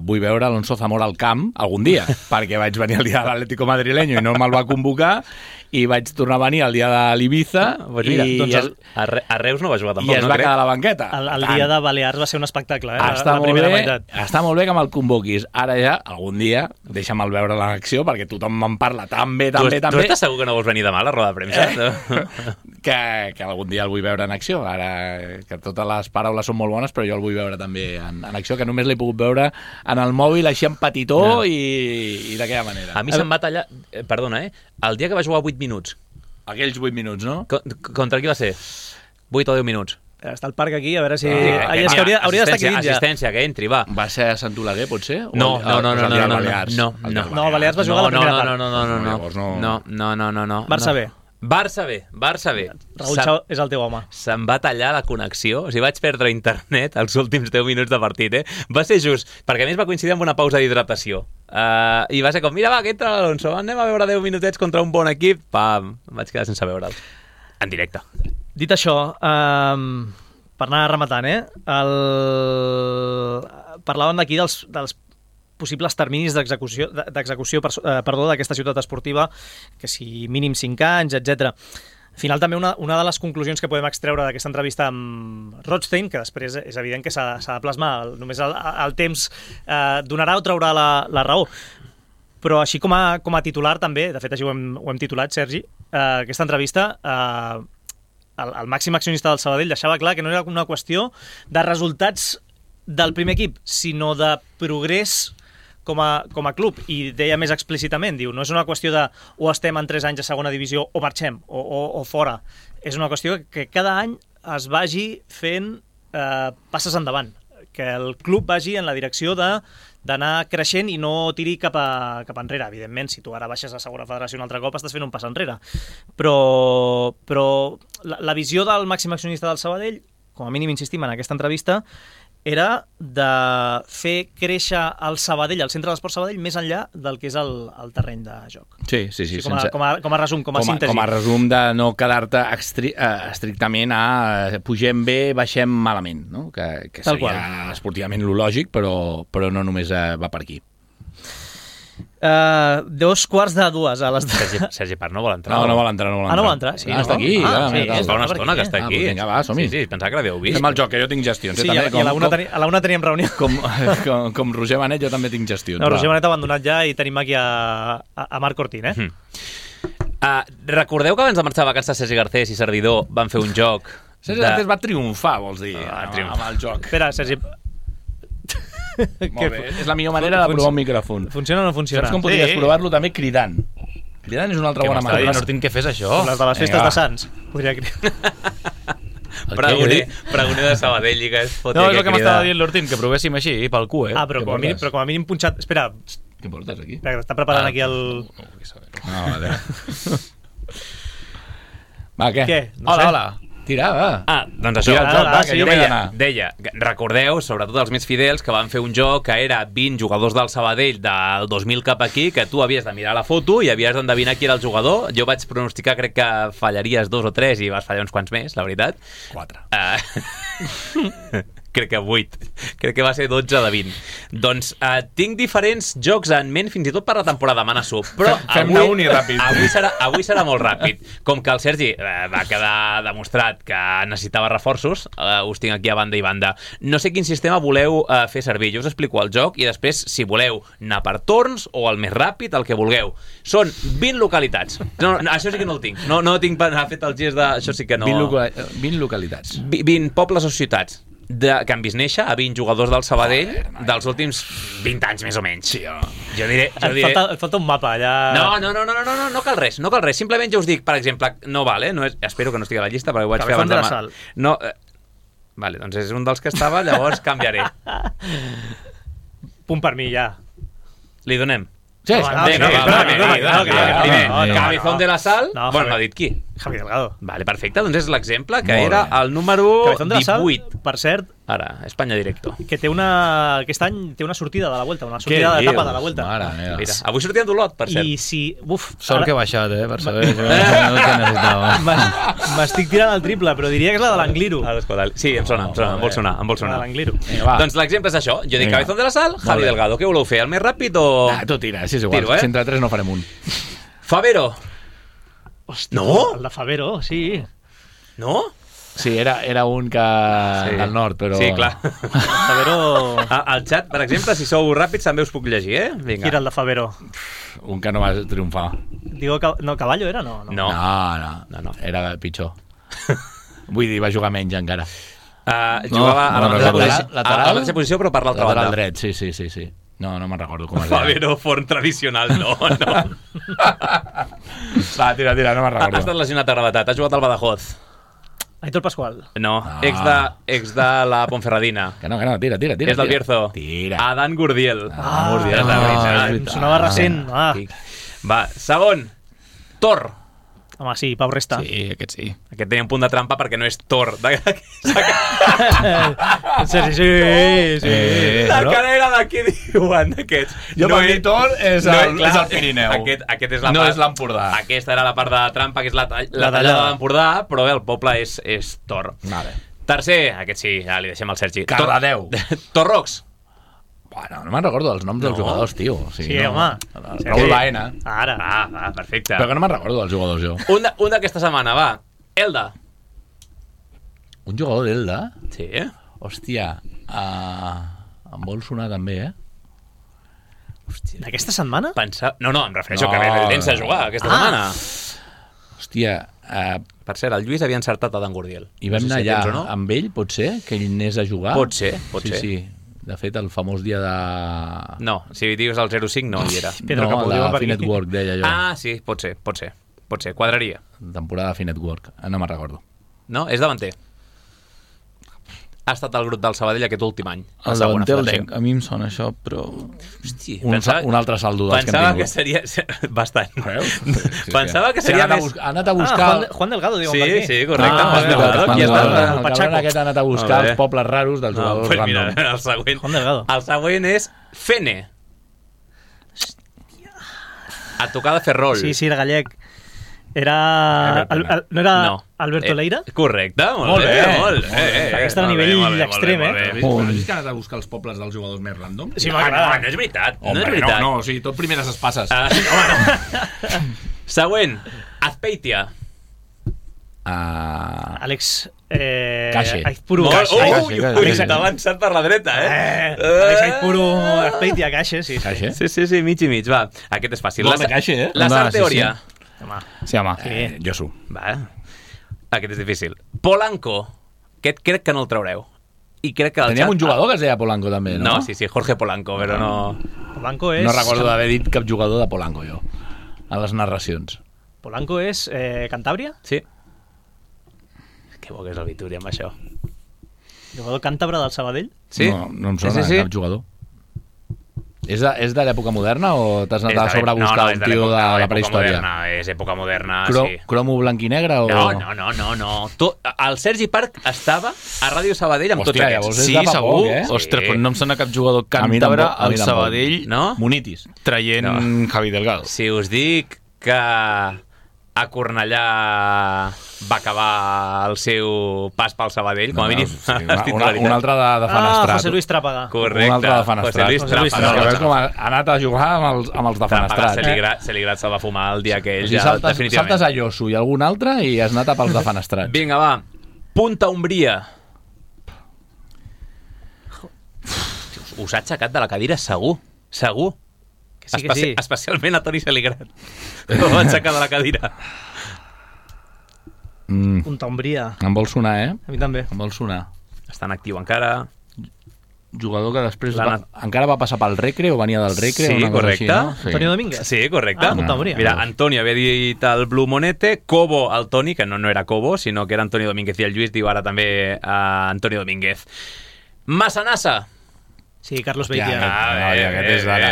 vull veure Alonso Zamora al camp algun dia, perquè vaig venir el dia de l'Atlético madrileño i no me'l va convocar, i vaig tornar a venir el dia de l'Ibiza a Reus no va jugar tampoc, i es va quedar a la banqueta. El dia de Balears va ser un espectacle, està la primera meitat. Està molt bé que me'l convoquis. Ara ja, algun dia, deixa'm-el veure en acció, perquè tothom me'n parla tan bé. Tu estàs segur que no vols venir demà a la roda de premsa? Que algun dia el vull veure en acció. Ara, que totes les paraules són molt bones, però jo el vull veure també en acció, que només l'he pogut veure en el mòbil així en petitó i d'aquella manera. A mi se'm va tallar, perdona, el dia que va jugar 8 minuts. Aquells 8 minuts, no? Contra qui va ser? 8 o 10 minuts. Està al parc aquí, a veure si... És que hauria d'estar aquí dins ja. Assistència, que entri, va. Va ser a Sant Oleguer, potser? No. No, Balears va jugar a la primera part. No. Barça B. Raúl Chao és el teu home. Se'm va tallar la connexió, o sigui, vaig perdre internet els últims 10 minuts de partit, Va ser just, perquè a més va coincidir amb una pausa d'hidratació. I va ser com, mira, va, que entra l'Alonso, anem a veure 10 minutets contra un bon equip, pam, vaig quedar sense veure'l. En directe. Dit això, per anar rematant, parlàvem d'aquí dels possibles terminis d'execució d'aquesta ciutat esportiva, que si mínim 5 anys, etc. Al final, també una de les conclusions que podem extreure d'aquesta entrevista amb Rothstein, que després és evident que s'ha de plasmar, només el temps donarà o traurà la raó. Però així com a titular també, de fet així ho hem titulat, Sergi, aquesta entrevista, el màxim accionista del Sabadell deixava clar que no era una qüestió de resultats del primer equip, sinó de progrés com a club, i deia més explícitament, diu, no és una qüestió de o estem en 3 anys a segona divisió o marxem, o fora. És una qüestió que cada any es vagi fent passes endavant, que el club vagi en la direcció de d'anar creixent i no tiri cap enrere. Evidentment, si tu ara baixes a segona federació un altre cop, estàs fent un pas enrere. Però la visió del màxim accionista del Sabadell, com a mínim insistim en aquesta entrevista, era de fer créixer el Sabadell, el centre de l'esport Sabadell, més enllà del que és el terreny de joc. Sí. Com a resum, com a síntesi. Com a resum de no quedar-te estrictament a pugem bé, baixem malament, no? Que seria esportivament lo lògic, però no només va per aquí. 2:45 a les... Sergi Parr no vol entrar. No vol entrar. No vol entrar, sí. Està aquí. És fa una estona que està aquí. Vinga, va, som-hi. Sí, pensava que l'havíeu vist. Fem el joc, que jo tinc gestions. Sí, i a la una teníem reunió. Com Roger Benet, jo també tinc gestions. No, Roger Benet ha abandonat ja i tenim aquí a Marc Cortín, Recordeu que abans de marxar a vacances Sergi Garcés i Servidor van fer un joc... Sergi Garcés va triomfar, vols dir, amb el joc. Espera, Sergi... Molt bé, és la millor manera de provar un micròfon. Funciona o no funciona? Saps com podries provar-lo també cridant? Cridant és una altra bona manera. No tinc que fes això. Les de les festes de Sants. Podria cridar. Pregoner de Sabadell i que es foti. No, és el que m'estava dient l'Hortín, que provéssim així, pel cul, però com a mínim punxat... Espera. Què portes aquí? Espera, que està preparant aquí el... No, vale. Va, què? Hola. Tira, va. Doncs això. Deia, recordeu, sobretot els més fidels, que van fer un joc que era 20 jugadors del Sabadell del 2000 cap aquí, que tu havies de mirar la foto i havies d'endevinar qui era el jugador. Jo vaig pronosticar, crec que fallaries 2 o 3 i vas fallar uns quants més, la veritat. 4. Crec que 8. Crec que va ser 12 de 20. Doncs tinc diferents jocs en ment, fins i tot per la temporada, m'anasso. Però fem-ne un i ràpid. Avui serà molt ràpid. Com que el Sergi va quedar demostrat que necessitava reforços, us tinc aquí a banda i banda. No sé quin sistema voleu fer servir. Jo us explico el joc i després, si voleu anar per torns o el més ràpid, el que vulgueu. Són 20 localitats. No, això sí que no el tinc. No tinc fet el gest de... Això sí que no... 20 localitats. 20 pobles o ciutats que han vist néixer a 20 jugadors del Sabadell dels últims 20 anys, més o menys. Sí, jo diré... Et falta un mapa, allà... No cal res. Simplement jo us dic, per exemple, no val, no és, espero que no estigui a la llista, perquè ho vaig fer abans demà. No, vale, doncs és un dels que estava, llavors canviaré. Punt per mi, ja. Li donem? Sí, Cabezón de la Sal. Bueno, no ha dit qui? Javi Delgado. Vale, perfecte, doncs és l'exemple, que era el número 18. Per cert, ara, Espanya Directo. Que aquest any té una sortida de la Vuelta, una sortida d'etapa de la Vuelta. Mira, avui sortien d'Olot, per cert. I si... Sort que he baixat, per saber el que necessitava. M'estic tirant el triple, però diria que és la de l'Angliru. Sí, em vol sonar. La de l'Angliru. Doncs l'exemple és això. Jo dic Cabezón de la Sal, Javi Delgado. Què voleu fer? El més ràpid o...? Tu tira, si és igual. Si entre 3 no farem un. Favero. Hòstia, no? El de Favero, sí. No? Sí, era un que... del nord, però... Sí, clar. Favero... Al xat, per exemple, si sou ràpids, també us puc llegir, Vinga. Qui era el de Favero? Un que no va triomfar. Digo, no, Caballo era? No. Era pitjor. Vull dir, va jugar menys encara. Jugava a la mateixa posició, però per l'altra banda. Lateral dret, sí. No me'n recordo com es deia. Favero, forn tradicional, no. Va, tira, no me'n recordo. Ha estat lesionat a gravetat, ha jugat al Badajoz. Aitor Pascual. No, ex de la Ponferradina. Que no, tira. És del Bierzo. Tira. Adán Gurdiel. Em sonava recent. Va, segon. Tor. Home, sí, Pau Resta. Sí, aquest sí. Aquest tenia un punt de trampa perquè no és Tor. Sí. La cara era de què diuen d'aquests. Jo per mi Tor és el Pirineu. Aquest és la no part, és l'Empordà. Aquesta era la part de trampa, que és la tallada de l'Empordà, però el poble és Tor. Vale. Tercer, aquest sí, ja li deixem al Sergi. Cardedeu. Torrox. Bueno, no me'n recordo els noms dels jugadors, tio. Sí, home. Raúl Baena. Ara. Perfecte. Però que no me'n recordo dels jugadors, jo. Un d'aquesta setmana, va. Elda. Un jugador d'Elda? Sí. Hòstia, em vol sonar també, Hòstia. D'aquesta setmana? No, em refereixo que ve el Dens a jugar aquesta setmana. Hòstia... Per cert, el Lluís havia encertat a Dan Gurdiel. I vam anar allà amb ell, pot ser? Que ell anés a jugar? Pot ser. Sí. De fet, el famós dia de... No, si dius el 05 no hi era. No, la Finetwork, deia jo. Sí, pot ser. Quadraria. Temporada Finetwork, no me'n recordo. No, és davanter. ha estat el grup del Sabadell aquest últim any? El davanter el tenc. A mi em sona això, però... Hosti, Un altre saldo dels que hem pensava tingut. que seria... Bastant. Sí, Pensava que seria més... Ha anat a buscar... Juan Delgado, diuen per aquí. Sí, correcte. Ah, Juan Delgado, Juan aquí està. Delgado. el El cabron aquest ha anat a buscar Molt bé. els pobles raros dels jugadors Pues mira, random. el següent. Juan Delgado. El següent és Fene. A tocar de Ferrol. Sí, era gallec. Era... no era Alberto Leira? Correcte, molt bé. Molt bé. Aquest era a nivell extrem, Has vist que ha anat a buscar els pobles dels jugadors més random? Sí, m'agrada. No és veritat. No Home, és veritat. no, o sigui, tot primeres espasses. Següent. Azpeitia. Àlex... Caixe. Aizpuru. T'ha avançat per la dreta, Àlex Aizpuru, Azpeitia, Caixe, sí. Caixe? Sí, mig i mig, va. Aquest és fàcil. Gol de Caixe, eh? La Va, Sar Teoria. Sí, home. Josu. Va. Aquest és difícil. Polanco. Aquest crec que no el traureu. I crec que Teníem un jugador que es deia Polanco, també, no? No, sí, Jorge Polanco, però no... Polanco és... No recordo d'haver dit cap jugador de Polanco, jo, a les narracions. Polanco és Cantàbria? Sí. Que bo que és el Vituri amb això. Jugador càntabre del Sabadell? Sí? No em sona cap jugador. És de l'època moderna o t'has anat a sobre a buscar un tio de la prehistòria? Moderna, és època moderna, sí. Cromo blanc i negre o...? No. El Sergi Parc estava a Ràdio Sabadell amb tots Hòstia, aquests. llavors és Sí, de fa segur. poc, eh? Ostres, però no em sona cap jugador A mi càntabre tampoc, a mi al tampoc. Sabadell No? Munitis. traient Javi Delgado. Si us dic que a Cornellà va acabar el seu pas pel Sabadell, com a mínim. Un altre de Fenestrat. José Luis Trápaga. Correcte. Un altre de Fenestrat. José Luis Trápaga. Que veus com ha anat a jugar amb els de Fenestrat. Celigrat se'l va fumar el dia aquell, O sigui, ja, saltes definitivament. a Josu i algun altre i has anat a pels de Fenestrat. Vinga, va. Punta Umbria. Us ha aixecat de la cadira segur. Segur. Que sí. Especialment a Toni Celigrat. No va aixecar de la cadira. Punta Umbria. Em vol sonar, eh? A mi també. Em vol sonar. Està en actiu encara. Jugador que després encara va passar pel Recre o venia del Recre. Sí, una cosa correcte. Així, no? Sí. Antonio Domínguez. Sí, correcte. Punta Umbria. Mira, Antonio havia dit el Blue Monete, Cobo el Toni, que no era Cobo, sinó que era Antonio Domínguez, i el Lluís diu ara també Antonio Domínguez. Massanassa. Sí, Carlos Hòstia, Beitia. aquest és d'ara.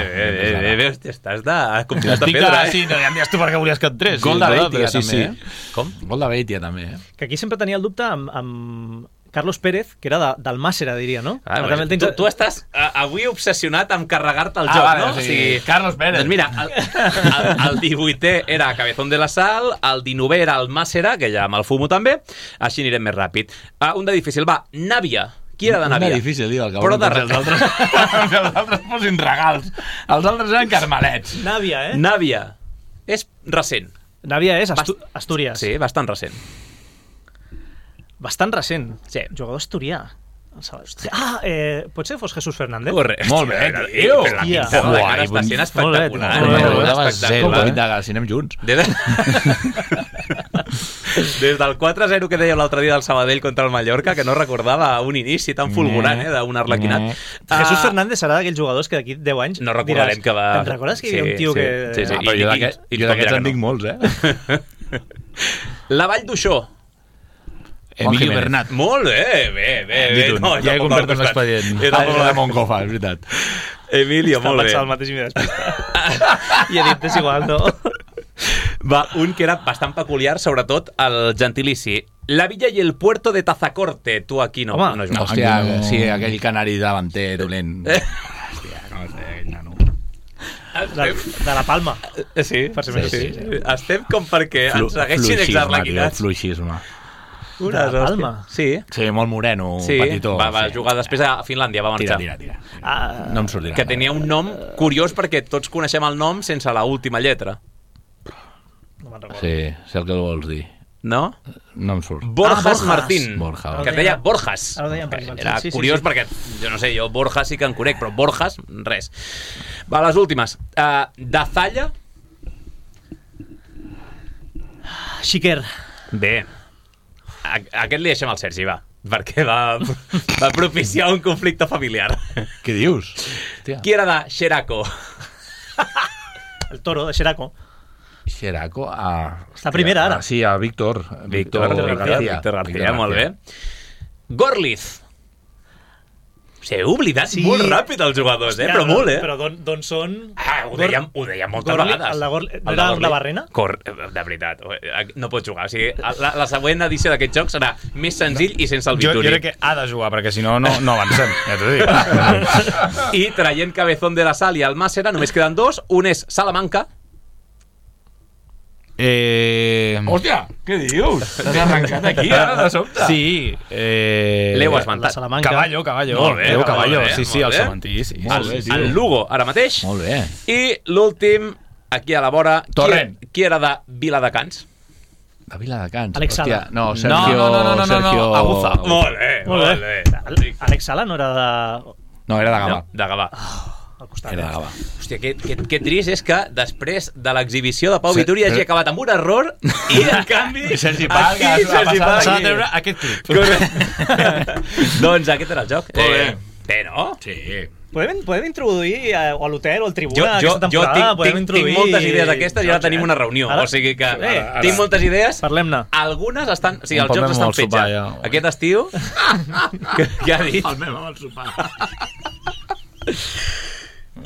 Veus, estàs de... Comptes de Estic pedra, sí, no, ja em dius tu perquè volies que entrés. Gol de Beitia, sí, també. sí. Com? Gol de Beitia, també. Que aquí sempre tenia el dubte amb Carlos Pérez, que era del Màssera, diria, no? Ah, bueno, tu estàs avui obsessionat amb carregar-te el joc, vale, no? o sigui, Carlos Pérez. Doncs mira, el 18è era Cabezón de la Sal, el 19è era el Màssera, que ja me'l fumo també, així anirem més ràpid. Un de difícil, va, Nàvia. Qui era de Nàvia? Una difícil, diu, el Però cabron, els altres posin regals. Els altres eren carmelets. Nàvia, eh? Nàvia. És recent. Nàvia és Astúries. Sí, bastant recent. Bastant recent. Sí. Jugador asturià. Potser fos Jesús Fernández? Correcte. Molt bé, tio. Però la pinta de la cara està sent espectacular. Si anem junts. Des del 4-0 que dèiem l'altre dia del Sabadell contra el Mallorca, que no recordava un inici tan fulgurant, d'un arlequinat. Jesús Fernández serà d'aquells jugadors que d'aquí 10 anys no recordarem que va... Te'n recordes que hi havia un tio que... Sí. Però jo d'aquests en dic molts, eh? La Vall d'Uixó. Emilio Bernat. Molt bé, bé. No, ja he complert amb l'expedient. Era de Moncofa, és veritat. Emilio, molt bé. Estava pensant el mateix i m'he despistat. I he dit, és igual, no? Va, un que era bastant peculiar, sobretot el gentilici. La Villa i el Puerto de Tazacorte. Tu aquí no. Home, no jugues. Hòstia, sí, aquell canari davanter dolent. Hòstia, no sé, aquell nano. De la Palma. Sí, Per ser més sí. sí. Estem com perquè ens segueixin exarlequinats. Fluixisme. De la Palma. Sí. Sí, molt moreno, Sí, petitó. va jugar després a Finlàndia, va marxar. Tira. No em sortirà. Que tenia un nom curiós perquè tots coneixem el nom sense la última lletra. No me'n recordo. Sí, sé el que vols dir. No? No em surt. Borjas Borjas. Martín. Borja. Que et deia Borjas. Ara ho deien per inventar. Era Sí, curiós perquè, jo no sé, jo Borjas sí que en conec, però Borjas, res. Va, les últimes. Dazalla. Xiquer. Bé. Aquest li deixem al Sergi, va. Perquè va propiciar un conflicte familiar. Què dius? Hòstia. Qui era de Xeraco? El Toro, de Xeraco. Xeraco, Està primera, ara. Sí, a Víctor Víctor García, molt bé. Gorliz. He oblidat molt ràpid els jugadors, però molt, Però d'on són? Ho dèiem moltes vegades. El de la Barrena? De veritat, no pot jugar. O sigui, la següent edició d'aquest joc serà més senzill i sense el Vituri. Jo crec que ha de jugar, perquè si no avancem, ja t'ho dic. I traient Cabezón de la Sal i Almàssera, només queden dos. Un és Salamanca. Hòstia, què dius? T'has arrencat aquí, ara, de sobte. Sí. L'heu esmentat. Caballo. Molt bé, Caballo. molt bé, Sí, molt el bé. Cementí, sí. El Lugo, ara mateix. Molt bé. I l'últim, aquí a la vora, Torrent. qui era de Viladecans? De Viladecans. Alex Sala. Hòstia, no, Sergio... No. Aguza. Molt bé. Àlex Sala no era de... No, era de Gavà. De Gavà. Al costat. Era de Gavà. Hòstia, que trist és que després de l'exhibició de Pau Vituri hagi acabat amb un error i, en canvi, Sergi Pal, aquí Sergi Pal. S'ha de treure aquest clip. Doncs aquest era el joc. Molt bé. Bé, no? Sí. Podem introduir o a l'hotel o al Tribuna Jo aquesta temporada? tinc moltes idees d'aquestes i ara tenim una reunió. Ara- O sigui que Ara- tinc moltes idees. Parlem-ne. Algunes estan... O sigui, els Un jocs paper estan molt fets sopar, ja. ja. Aquest estiu... Què ha dit? El meu amb el sopar.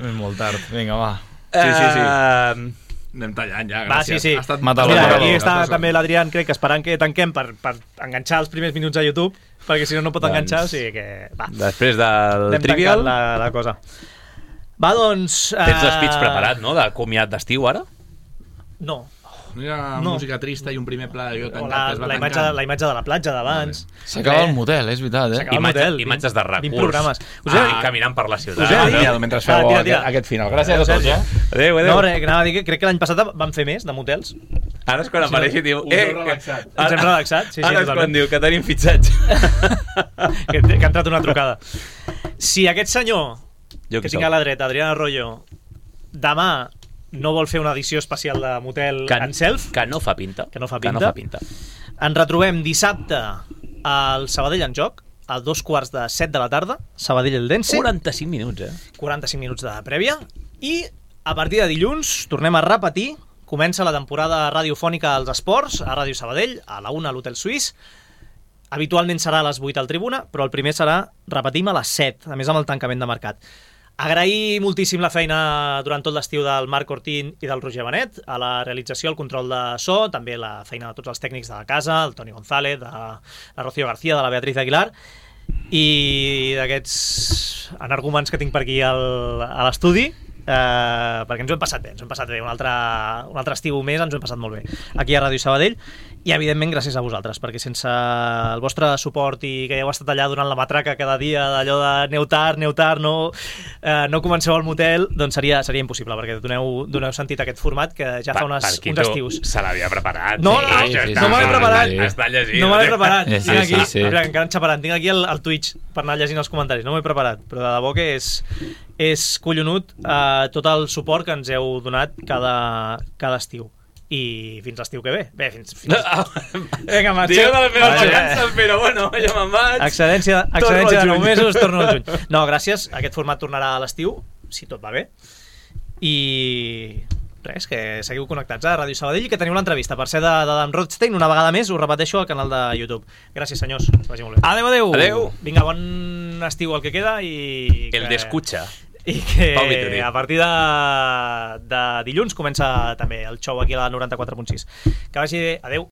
És molt tard. Vinga, va. Sí. Anem tallant ja, Va, gràcies. sí. Ha estat Mata Mira, Mata aquí Mata està Mata també l'Adrián, crec que esperant que tanquem per enganxar els primers minuts a YouTube, perquè si no, no pot enganxar, o sigui que... Va, Després del anem Trivial... tancant la cosa. Va, doncs... Tens l'espitx preparat, no?, de comiat d'estiu, ara? No. No hi ha No. música trista i un primer pla de jo O tancat que es va la tancant. imatge de la platja d'abans. S'acaba el motel, és veritat, S'acaba el motel. Imatges de recurs. 20 programes. Caminant per la ciutat. Us he de dir- Mentre feu tira. aquest final. Gràcies a tots, Adéu, No, anava a dir que crec que l'any passat van fer més de motels. Ara és quan apareix i diu... us heu relaxat. Ens hem relaxat. Sí, Ara és quan totalment. diu que tenim fitxatge. que ha entrat una trucada. Si aquest senyor Jo que qui tinc soc? a la dreta, Adrián Arroyo, demà no vol fer una edició especial de motel en self, Que no fa pinta. Que no fa pinta. ens retrobem dissabte al Sabadell en joc, a 2:45 de la tarda, Sabadell-Eldense, 45 minuts, 45 minuts de prèvia, i a partir de dilluns tornem a repetir, comença la temporada radiofònica als esports, a Ràdio Sabadell, a la 1 a l'Hotel Suís. Habitualment serà a les 8 al Tribuna, però el primer serà, repetim, a les 7, a més amb el tancament de mercat. Agrair moltíssim la feina durant tot l'estiu del Marc Ortín i del Roger Benet, a la realització, el control de so, també la feina de tots els tècnics de la casa, el Toni González, de la Rocío García, de la Beatriz Aguilar, i d'aquests energúmens que tinc per aquí a l'estudi, perquè ens ho hem passat bé, un altre estiu més ens ho hem passat molt bé aquí a Ràdio Sabadell, i evidentment gràcies a vosaltres, perquè sense el vostre suport i que heu estat allà durant la matraca cada dia d'allò de aneu tard, no comenceu al motel, doncs seria impossible, perquè doneu sentit a aquest format que ja fa uns estius. Se l'havia preparat. No m'he preparat. Està llegint. No m'he preparat. Sí, Tinc aquí, sí. Mira, encara xaparant. Tinc aquí el Twitch per anar llegint els comentaris. No m'he preparat, però de debò que és collonut tot el suport que ens heu donat cada estiu. I fins l'estiu que ve. Bé, fins... Vinga, marxem. Dieu de les meves vacances, però bueno, ja me'n vaig. Excedència Torno al de 9 juny. mesos, torno al juny. No, gràcies. Aquest format tornarà a l'estiu, si tot va bé. I res, que seguiu connectats a Ràdio Sabadell i que teniu l'entrevista, per ser d'Adam Rothstein, una vegada més, us repeteixo al canal de YouTube. Gràcies, senyors. Que vagi molt bé. Adéu. Vinga, bon estiu el que queda i... El d'escucha. I que Pau Vituri. a partir de dilluns comença també el show aquí a la 94.6. Que vagi bé. Adéu.